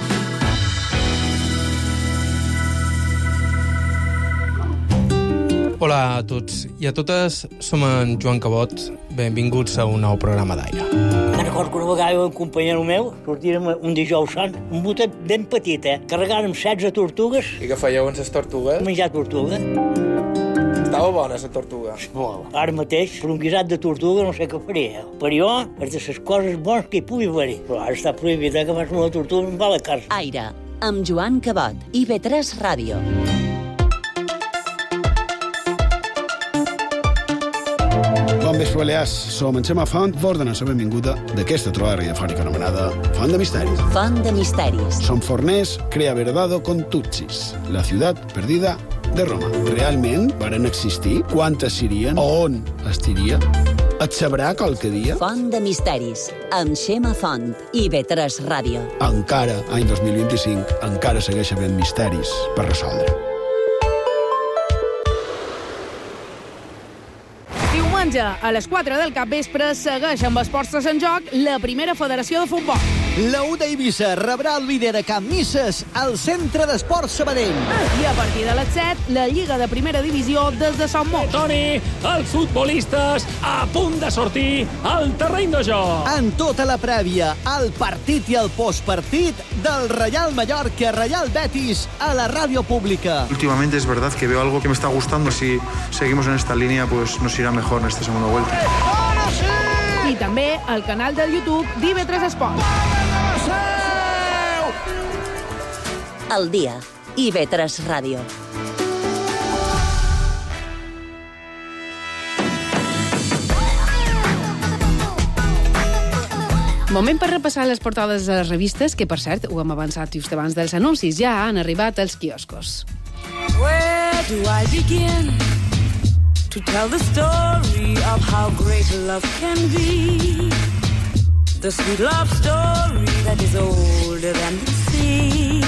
Hola a tots i a totes, som en Joan Cabot. Benvinguts a un nou programa d'aire. Me'n recordo que una vegada un companyero meu sortírem un dijous sant, un botet ben petit, eh? Carregàrem setze tortugues. I què fèieu amb les tortugues? Menjar tortuga. Estava bona, la tortuga. Molt. Ara mateix, per un guisat de tortuga no sé què faria. Per jo, és de les coses bones que hi pugui haver-hi. Però ara està prohibit, eh, que fas una tortuga amb la carn. Aire, amb Joan Cabot. I V tres Ràdio. Bon vespre, Balears. Som en Xema Font, vos donem la benvinguda d'aquesta trobada radiofònica anomenada Font de Misteris. Font de Misteris. Som forners, crea verdado con Tutsis, la ciutat perdida de Roma. Realment varen existir? Quantes serien? On estiria? Et sabrà qualque dia? Font de Misteris, amb Xema Font. I V tres Ràdio. Encara, any dos mil vint-i-cinc, encara segueix havent misteris per resoldre. Diumenge, a les quatre del capvespre, segueix amb els portes en joc la primera federació de futbol. La U d'Eivissa rebrà el líder a Can Misses al Centre d'Esports Sabadell. I a partir de les set, la Lliga de Primera Divisió des de Sant Mot. Toni, els futbolistes a punt de sortir al terreny de joc. En tota la prèvia, el partit i el postpartit del Real Mallorca Real Betis a la ràdio pública. Últimamente es verdad que veo algo que me está gustando. Si seguimos en esta línea, pues nos irá mejor en esta segunda vuelta. I també al canal del YouTube d'I V tres Esports. El dia. I V tres Ràdio. Moment per repassar les portades de les revistes, que, per cert, ho hem avançat just abans dels anuncis. Ja han arribat als quioscos. Where do I begin to tell the story of how great love can be? The sweet love story that is older than the sea.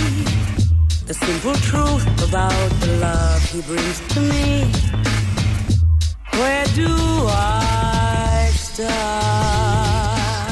The simple truth about the love he brings to me. Where do I start?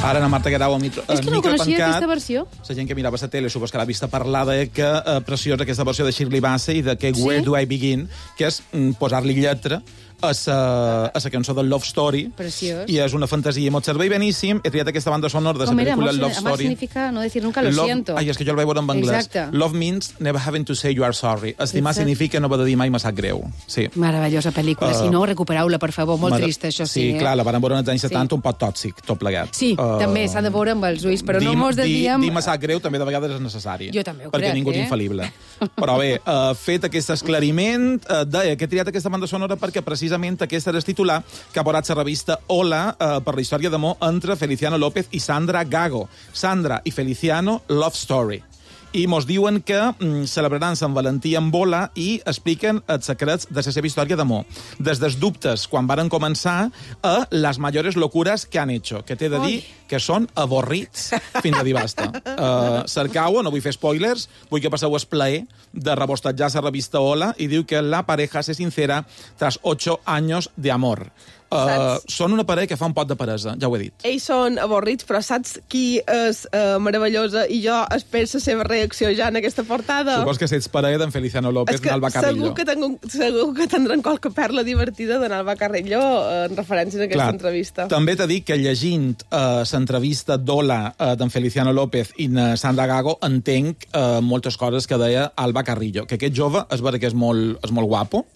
Ara la Marta Guerau al micro, És que no micro coneixia tancat. aquesta versió. La gent que mirava la tele, supos que l'ha vista parlar de que eh, preciosa aquesta versió de Shirley Bassey, de que Sí? Where Do I Begin, que és mm, posar-li lletra a la, a la cançó del Love Story. Preciós. I és una fantasia molt servei beníssim. He triat aquesta banda sonora de la Com era? pel·lícula Amor, Love amor Story. significa no decir nunca lo Love- siento. Ai, és que jo el vaig veure en anglès. Exacte. Love means never having to say you are sorry. Estimar Exacte. significa no haver de dir mai me sap greu. Sí. Meravellosa pel·lícula. Uh, si no, recupereu-la, per favor. Molt Mare- trista, això sí. Sí, eh? clar, la van veure als anys Sí. setanta un poc tòxic, tot plegat. Sí, Uh, també s'ha de veure amb els ulls, però no dir- mos desviem... Dir, dir me sap greu també de vegades és necessari. Jo també ho perquè crec, ningú és eh? infal·lible. Però bé, uh, fet aquest esclariment, uh, deia que he triat aquesta banda sonora perquè precisament aquesta era el titular que ha posat la revista Hola uh, per la història d'amor entre Feliciano López i Sandra Gago. Sandra i Feliciano, Love Story. I mos diuen que mm, celebraran Sant Valentí amb bola i expliquen els secrets de la seva història d'amor. Des dels dubtes quan varen començar a les mayores locuras que han hecho, que t'he de dir que són avorrits fins a dir basta. Uh, cercau, no vull fer spoilers, vull que passeu el plaer de rebostatjar la revista Hola i diu que la pareja se sincera tras ocho años de amor. Uh, són una parella que fa un pot de peresa, ja ho he dit. Ells són avorrits, però saps qui és uh, meravellosa? I jo espero la seva reacció ja en aquesta portada. Supos que ets parella d'en Feliciano López És que i Alba Carrillo. segur que, tengo, segur que tindran qualque perla divertida d'en Alba Carrillo en referència a aquesta Clar, entrevista. També t'he dit que llegint uh, l'entrevista d'Hola uh, d'en Feliciano López i de Sandra Gago entenc uh, moltes coses que deia Alba Carrillo, que aquest jove és vera que és molt, és molt guapo,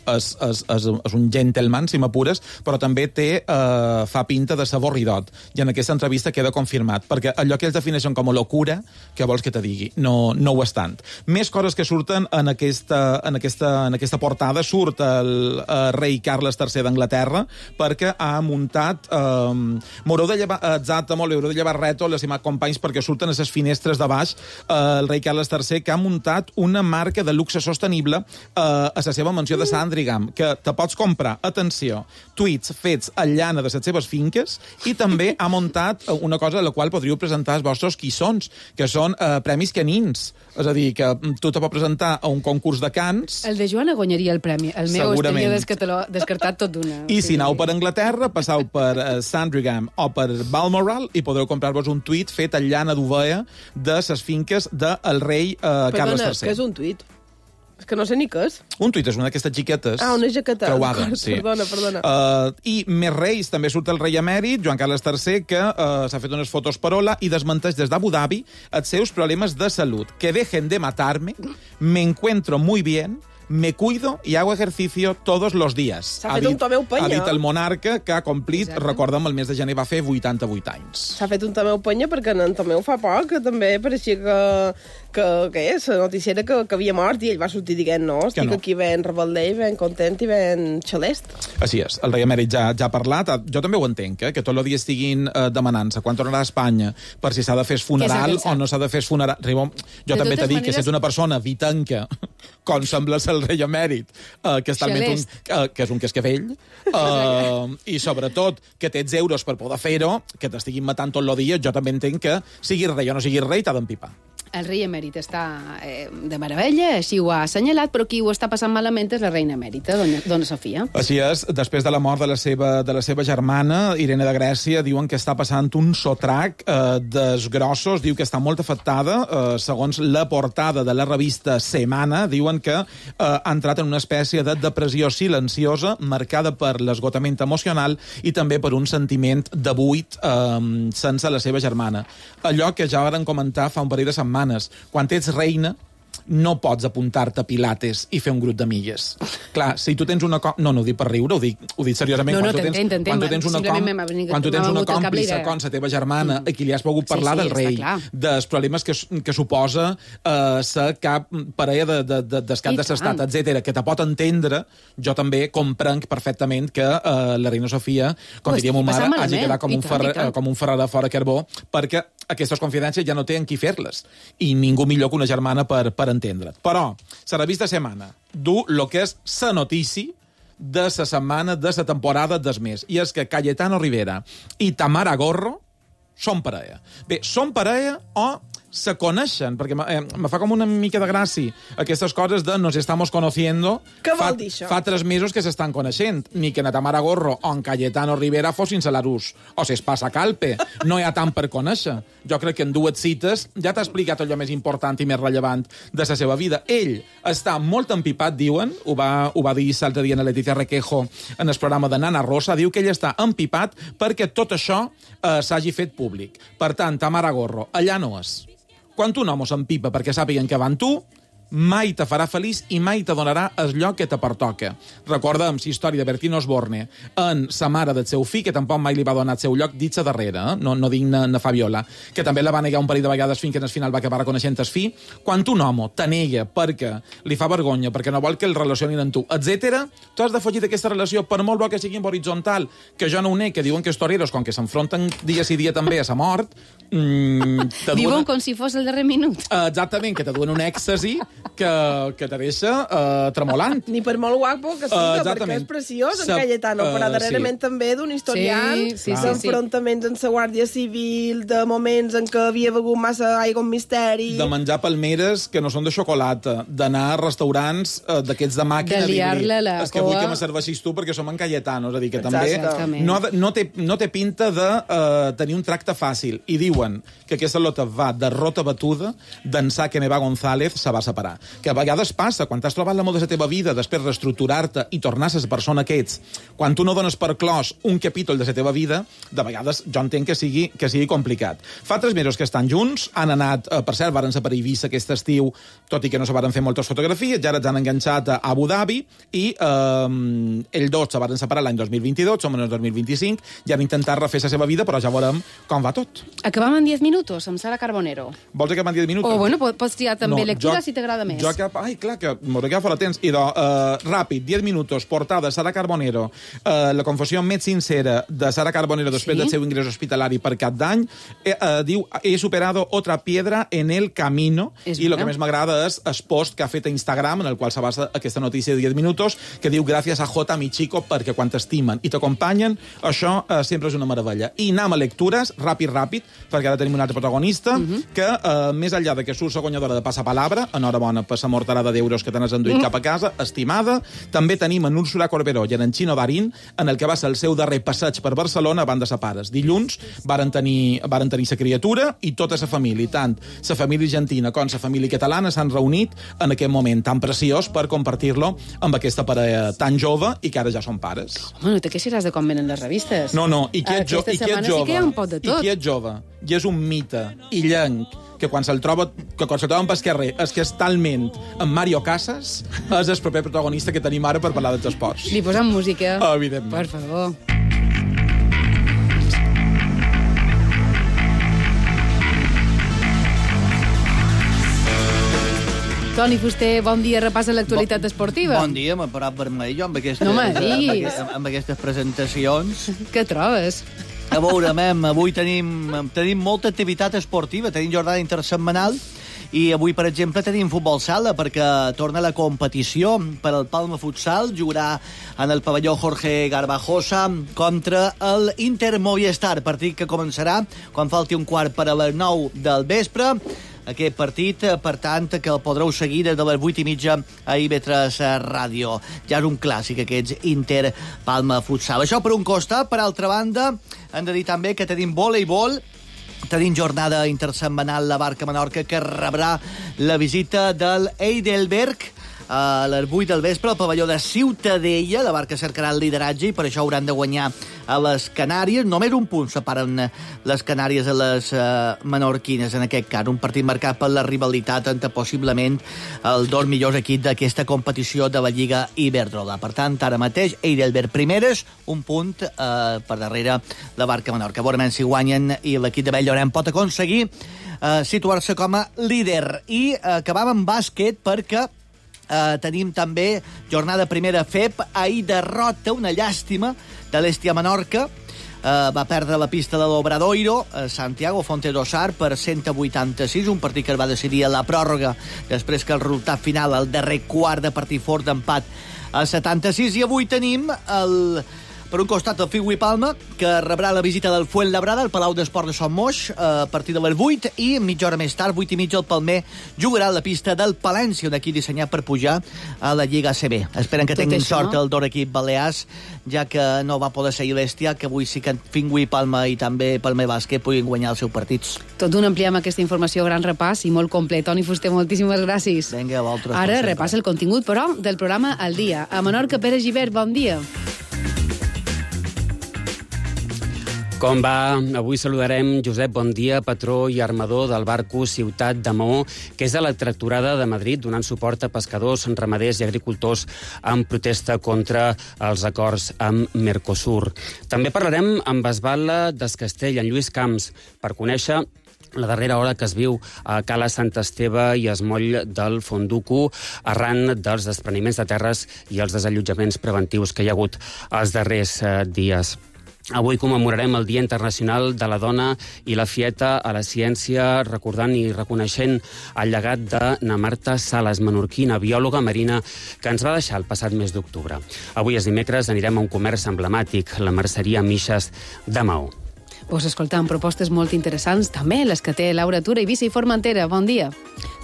és, és, és, és un gentleman, si m'apures, però també té, uh, fa pinta de saborridot. I en aquesta entrevista queda confirmat, perquè allò que ells defineixen com a locura, que vols que te digui, no, no ho és tant. Més coses que surten en aquesta, en aquesta, en aquesta portada. Surt el uh, rei Carles tercer d'Anglaterra, perquè ha muntat... Uh, M'haureu de llevar, exacte, molt, haureu de llevar reto, les imat companys, perquè surten a les finestres de baix uh, el rei Carles tercer, que ha muntat una marca de luxe sostenible uh, a la seva mansió de Sandringham, que te pots comprar, atenció, tuits fets a llana de les seves finques, i també ha muntat una cosa a la qual podríeu presentar els vostres quissons, que són uh, premis canins. És a dir, que tu te pots presentar a un concurs de cants... El de Joana guanyaria el premi. El meu Segurament. estaria descartat, descartat tot d'una. I si aneu per Anglaterra, passeu per uh, Sandringham o per Balmoral i podreu comprar-vos un tuit fet a llana d'ovella de les finques del rei uh, Carles Perdona, tercer. què és un tuit? És que no sé ni què és. Un tuit és una d'aquestes xiquetes Ah, una jaqueta. creuades. Sí. Perdona, perdona. Uh, I més reis, també surt el rei emèrit, Joan Carles tercer, que uh, s'ha fet unes fotos per Hola i desmenteix des d'Abu Dhabi els seus problemes de salut. Que dejen de matarme, me encuentro muy bien, me cuido y hago ejercicio todos los días. S'ha fet un Tomeu Penya. Ha dit el monarca, que ha complit, Exacte. recorda'm, el mes de gener va fer vuitanta-vuit anys. S'ha fet un Tomeu Penya perquè en Tomeu fa poc que també pareixia que, que, que és, la notícia era que, que havia mort i ell va sortir dient no, estic no. aquí ben rebel·der i ben content i ben xalest. Així és, el rei emèrit ja, ja ha parlat, jo també ho entenc, eh, que tot el dia estiguin eh, demanant-se quan tornarà a Espanya per si s'ha de fer funeral o no s'ha de fer funeral. Ribó, jo De també t'he totes dit que si maneres- ets una persona vitanca, com sembla ser el rei emèrit, eh, que, està almenys un, eh, que és un cascavell, eh, i sobretot que tens euros per poder fer-ho, que t'estiguin matant tot el dia, jo també entenc que siguis rei o no siguis rei, t'ha d'empipar. El rei emèrit està eh, de meravella, així ho ha assenyalat, però qui ho està passant malament és la reina emèrita, dona, dona Sofia. Així és, després de la mort de la seva, de la seva germana, Irene de Grècia, diuen que està passant un sotrac eh, desgrossos, diu que està molt afectada, eh, segons la portada de la revista Semana, diuen que eh, ha entrat en una espècie de depressió silenciosa, marcada per l'esgotament emocional i també per un sentiment de buit eh, sense la seva germana. Allò que ja varen comentar fa un parell de setmanes, quan ets reina, no pots apuntar-te a Pilates i fer un grup d'amigues. Clar, si tu tens una... Com... No, no ho dic per riure, ho dic, ho dic seriosament. No, no, quan tu tens, t'entenc, t'entenc. quan tu tens una, Simplement com... m'ha venit- quan tu tens m'ha una venut al cap la còmplice idea. com la teva germana, mm. a qui li has pogut parlar Sí, sí, del rei, està clar. dels problemes que, que suposa eh, ser cap parella de, de, de, del cap I de l'estat, tant. etcètera, que te pot entendre, jo també comprenc perfectament que eh, la reina Sofia, com Ho diria estic ma mare, passant hagi malament. quedat com I un, tant, ferre, i tant. eh, com un ferrer de fora carbó, perquè aquestes confidències ja no té en qui fer-les. I ningú millor que una germana per, per entendre't. Però, la revista Semana du el que és la notícia de la setmana, de la temporada del mes. I és que Cayetano Rivera i Tamara Gorro són parella. Bé, són parella o se coneixen, perquè me, eh, me fa com una mica de gràcia aquestes coses de nos estamos conociendo. Què fa, vol dir això? Fa tres mesos que s'estan coneixent. Ni que na Tamara Gorro o en Cayetano Rivera fossin Salarús o s'espassa Calpe. No hi ha tant per conèixer. Jo crec que en dues cites ja t'ha explicat allò més important i més rellevant de la seva vida. Ell està molt empipat, diuen, ho va, ho va dir l'altre dia a Leticia Requejo en el programa de Nana Rosa, diu que ell està empipat perquè tot això eh, s'hagi fet públic. Per tant, Tamara Gorro, allà no és. Quan un home s'empipa perquè sàpiguen que va amb tu, mai te farà feliç i mai te donarà el lloc que te pertoca. Recordem la història de Bertino Osborne en sa mare del seu fill, que tampoc mai li va donar el seu lloc, dit sa darrere, eh? no, no dic na, na Fabiola, que també la va negar un parell de vegades fins que al final va acabar reconeixent el fill. Quan un home te nega perquè li fa vergonya, perquè no vol que el relacionin amb tu, etcètera, tu has de fugir d'aquesta relació, per molt bo que sigui en horitzontal, que jo no ho ne, que diuen que els toreros, com que s'enfronten dia sí dia també a sa mort, mmm, diuen com si fos el darrer minut. Uh, exactament, que te duen un èxtasi que, que te deixa uh, tremolant. Ni per molt guapo que siga, uh, perquè és preciós, en Cayetano, uh, però darrerament sí. també d'un historial sí, sí, d'enfrontaments sí, sí. en la Guàrdia Civil, de moments en què havia begut massa aigua amb misteri... De menjar palmeres que no són de xocolata, d'anar a restaurants uh, d'aquests de màquina... De liar-la la És que vull que me serveixis tu perquè som en Cayetano, és a dir, que Exacte. també no, no, té, no té pinta de uh, tenir un tracte fàcil. I diuen que aquesta lota va de rota batuda, d'ençà que Neva González se va separar. Que a vegades passa, quan t'has trobat l'amor de la teva vida, després reestructurar-te i tornar a la persona que ets, quan tu no dones per clos un capítol de la teva vida, de vegades jo entenc que sigui, que sigui complicat. Fa tres mesos que estan junts, han anat, eh, per cert, varen separar a Eivissa aquest estiu, tot i que no se varen fer moltes fotografies, ja ara s'han enganxat a Abu Dhabi, i eh, ells dos se varen separar l'any dos mil vint-i-dos, som en el dos mil vint-i-cinc, i han intentat refer la seva vida, però ja veurem com va tot. Acabam en diez minutos, amb Sara Carbonero. Vols acabar en diez minutos? O, bueno, pots triar també no, lectura jo, si t'agrada més. Jo cap... Ai, clar, que m'ho agafa la temps. I de, uh, ràpid, diez minutos, portada, Sara Carbonero, uh, la confessió més sincera de Sara Carbonero després sí? del seu ingrés hospitalari per cap d'any, eh, uh, diu, he superado otra piedra en el camino, és i el que més m'agrada és el post que ha fet a Instagram, en el qual se basa aquesta notícia de diez minutos, que diu, gràcies a J, mi chico, perquè quan t'estimen i t'acompanyen, això uh, sempre és una meravella. I anem a lectures, ràpid, ràpid, perquè ara tenim un altre protagonista, uh -huh. que, uh, més enllà de que surt la guanyadora de Passapalabra, enhorabona per la morterada d'euros que te n'has enduit mm. cap a casa, estimada, també tenim en Úrsula Corberó i en Xino Darín, en el que va ser el seu darrer passeig per Barcelona abans de sa pares. Dilluns varen tenir, varen tenir sa criatura i tota sa família, tant sa família argentina com sa família catalana s'han reunit en aquest moment tan preciós per compartir-lo amb aquesta parella tan jove i que ara ja són pares. Home, no te queixaràs de com venen les revistes. No, no, i qui és, jo, i qui és jove? Sí que hi ha un pot de tot. I qui és jove? I és un mite illenc que quan se'l troba, que quan se'l troben pel carrer és que és talment amb Mario Casas, és el proper protagonista que tenim ara per parlar dels esports. Li posem música. Oh, evidentment. Per favor. Toni Fuster, bon dia, repassa l'actualitat esportiva. Bon dia, m'ha parat vermell jo amb aquestes, no amb, amb, amb aquestes presentacions. Què trobes? A veure, mem, avui tenim, tenim molta activitat esportiva, tenim jornada intersetmanal i avui, per exemple, tenim futbol sala perquè torna la competició per al Palma Futsal, jugarà en el pavelló Jorge Garbajosa contra el Inter Movistar, partit que començarà quan falti un quart per a les nou del vespre. Aquest partit, per tant, que el podreu seguir des de les vuit i mitja a I V tres Ràdio. Ja és un clàssic, aquests Inter-Palma Futsal. Això per un costat. Per altra banda, hem de dir també que tenim voleibol. Tenim jornada intersetmanal la Barca Menorca, que rebrà la visita del Heidelberg a les vuit del vespre al pavelló de Ciutadella. La Barca cercarà el lideratge i per això hauran de guanyar a les Canàries. Només un punt separen les Canàries a les uh, menorquines, en aquest cas. Un partit marcat per la rivalitat entre possiblement els dos millors equips d'aquesta competició de la Lliga Iberdrola. Per tant, ara mateix, Heidelberg primeres, un punt uh, per darrere la Barca Menorca. Veurem si guanyen i l'equip de Belllorent pot aconseguir uh, situar-se com a líder. I uh, acabam amb bàsquet perquè Uh, tenim també jornada primera F E P. Ahir derrota, una llàstima, de l'Hèstia Menorca. Uh, va perdre la pista de l'Obradoiro, uh, Santiago Fontedosar, per cent vuitanta-sis, un partit que es va decidir a la pròrroga després que el resultat final, el darrer quart de partit fort d'empat a setanta-sis. I avui tenim el Per un costat, el Figui Palma, que rebrà la visita del Fuenlabrada al Palau d'Esport de Son Moix a partir de les vuit, i mitja hora més tard, vuit i mitja, el Palmer jugarà a la pista del Palència, un equip dissenyat per pujar a la Lliga A C B. Esperen que Tot tinguin això... sort el d'or equip balears, ja que no va poder seguir l'Estia, que avui sí que Figui Palma i també Palmer Bàsquet puguin guanyar els seus partits. Tot d'un ampliem aquesta informació, gran repàs i molt complet. Toni Fuster, moltíssimes gràcies. Vinga, a vosaltres. Ara repassa el contingut, però, del programa Al Dia. A Menorca, Pere Gibert, bon dia. Com va? Avui saludarem Josep Bondia, patró i armador del barco Ciutat de Maó, que és a la tractorada de Madrid, donant suport a pescadors, ramaders i agricultors en protesta contra els acords amb Mercosur. També parlarem amb Esbala d'Escastell, en Lluís Camps, per conèixer la darrera hora que es viu a Cala Sant Esteve i Esmoll del Fonduco arran dels despreniments de terres i els desallotjaments preventius que hi ha hagut els darrers eh, dies. Avui commemorarem el Dia Internacional de la Dona i la Fieta a la Ciència, recordant i reconeixent el llegat de na Marta Sales, menorquina, biòloga marina, que ens va deixar el passat mes d'octubre. Avui és dimecres, anirem a un comerç emblemàtic, la merceria Mixes de Maó. Pues escoltant propostes molt interessants, també les que té Laura Tura, Eivissa i Formentera. Bon dia.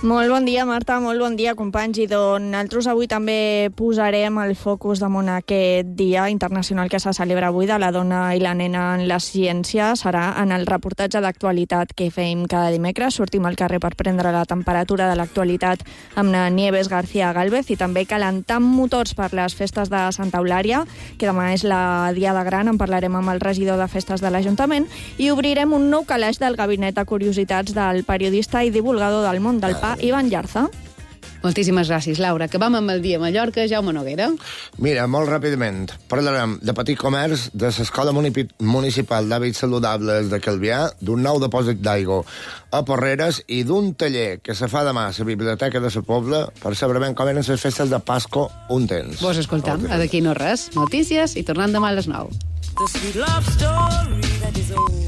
Molt bon dia, Marta, molt bon dia, companys. I doncs nosaltres avui també posarem el focus damunt aquest Dia Internacional que se celebra avui de la dona i la nena en la ciència. Serà en el reportatge d'actualitat que fem cada dimecres. Sortim al carrer per prendre la temperatura de l'actualitat amb na Nieves García Gálvez i també calentant motors per les festes de Santa Eulària, que demà és la Diada Gran. En parlarem amb el regidor de festes de l'Ajuntament i obrirem un nou calaix del gabinet de curiositats del periodista i divulgador del món del pa, Ivan Llarza. Moltíssimes gràcies, Laura. Que vam amb el dia a Mallorca, Jaume Noguera. Mira, molt ràpidament, parlarem de petit comerç, de l'Escola Municipal d'Hàbits Saludables de Calvià, d'un nou depòsit d'aigua a Porreres i d'un taller que se fa demà a la Biblioteca de la Pobla per saber ben com eren les festes de Pasco un temps. Vos escoltam, a d'aquí no res. Notícies i tornant demà a les nou. The sweet love story that is old.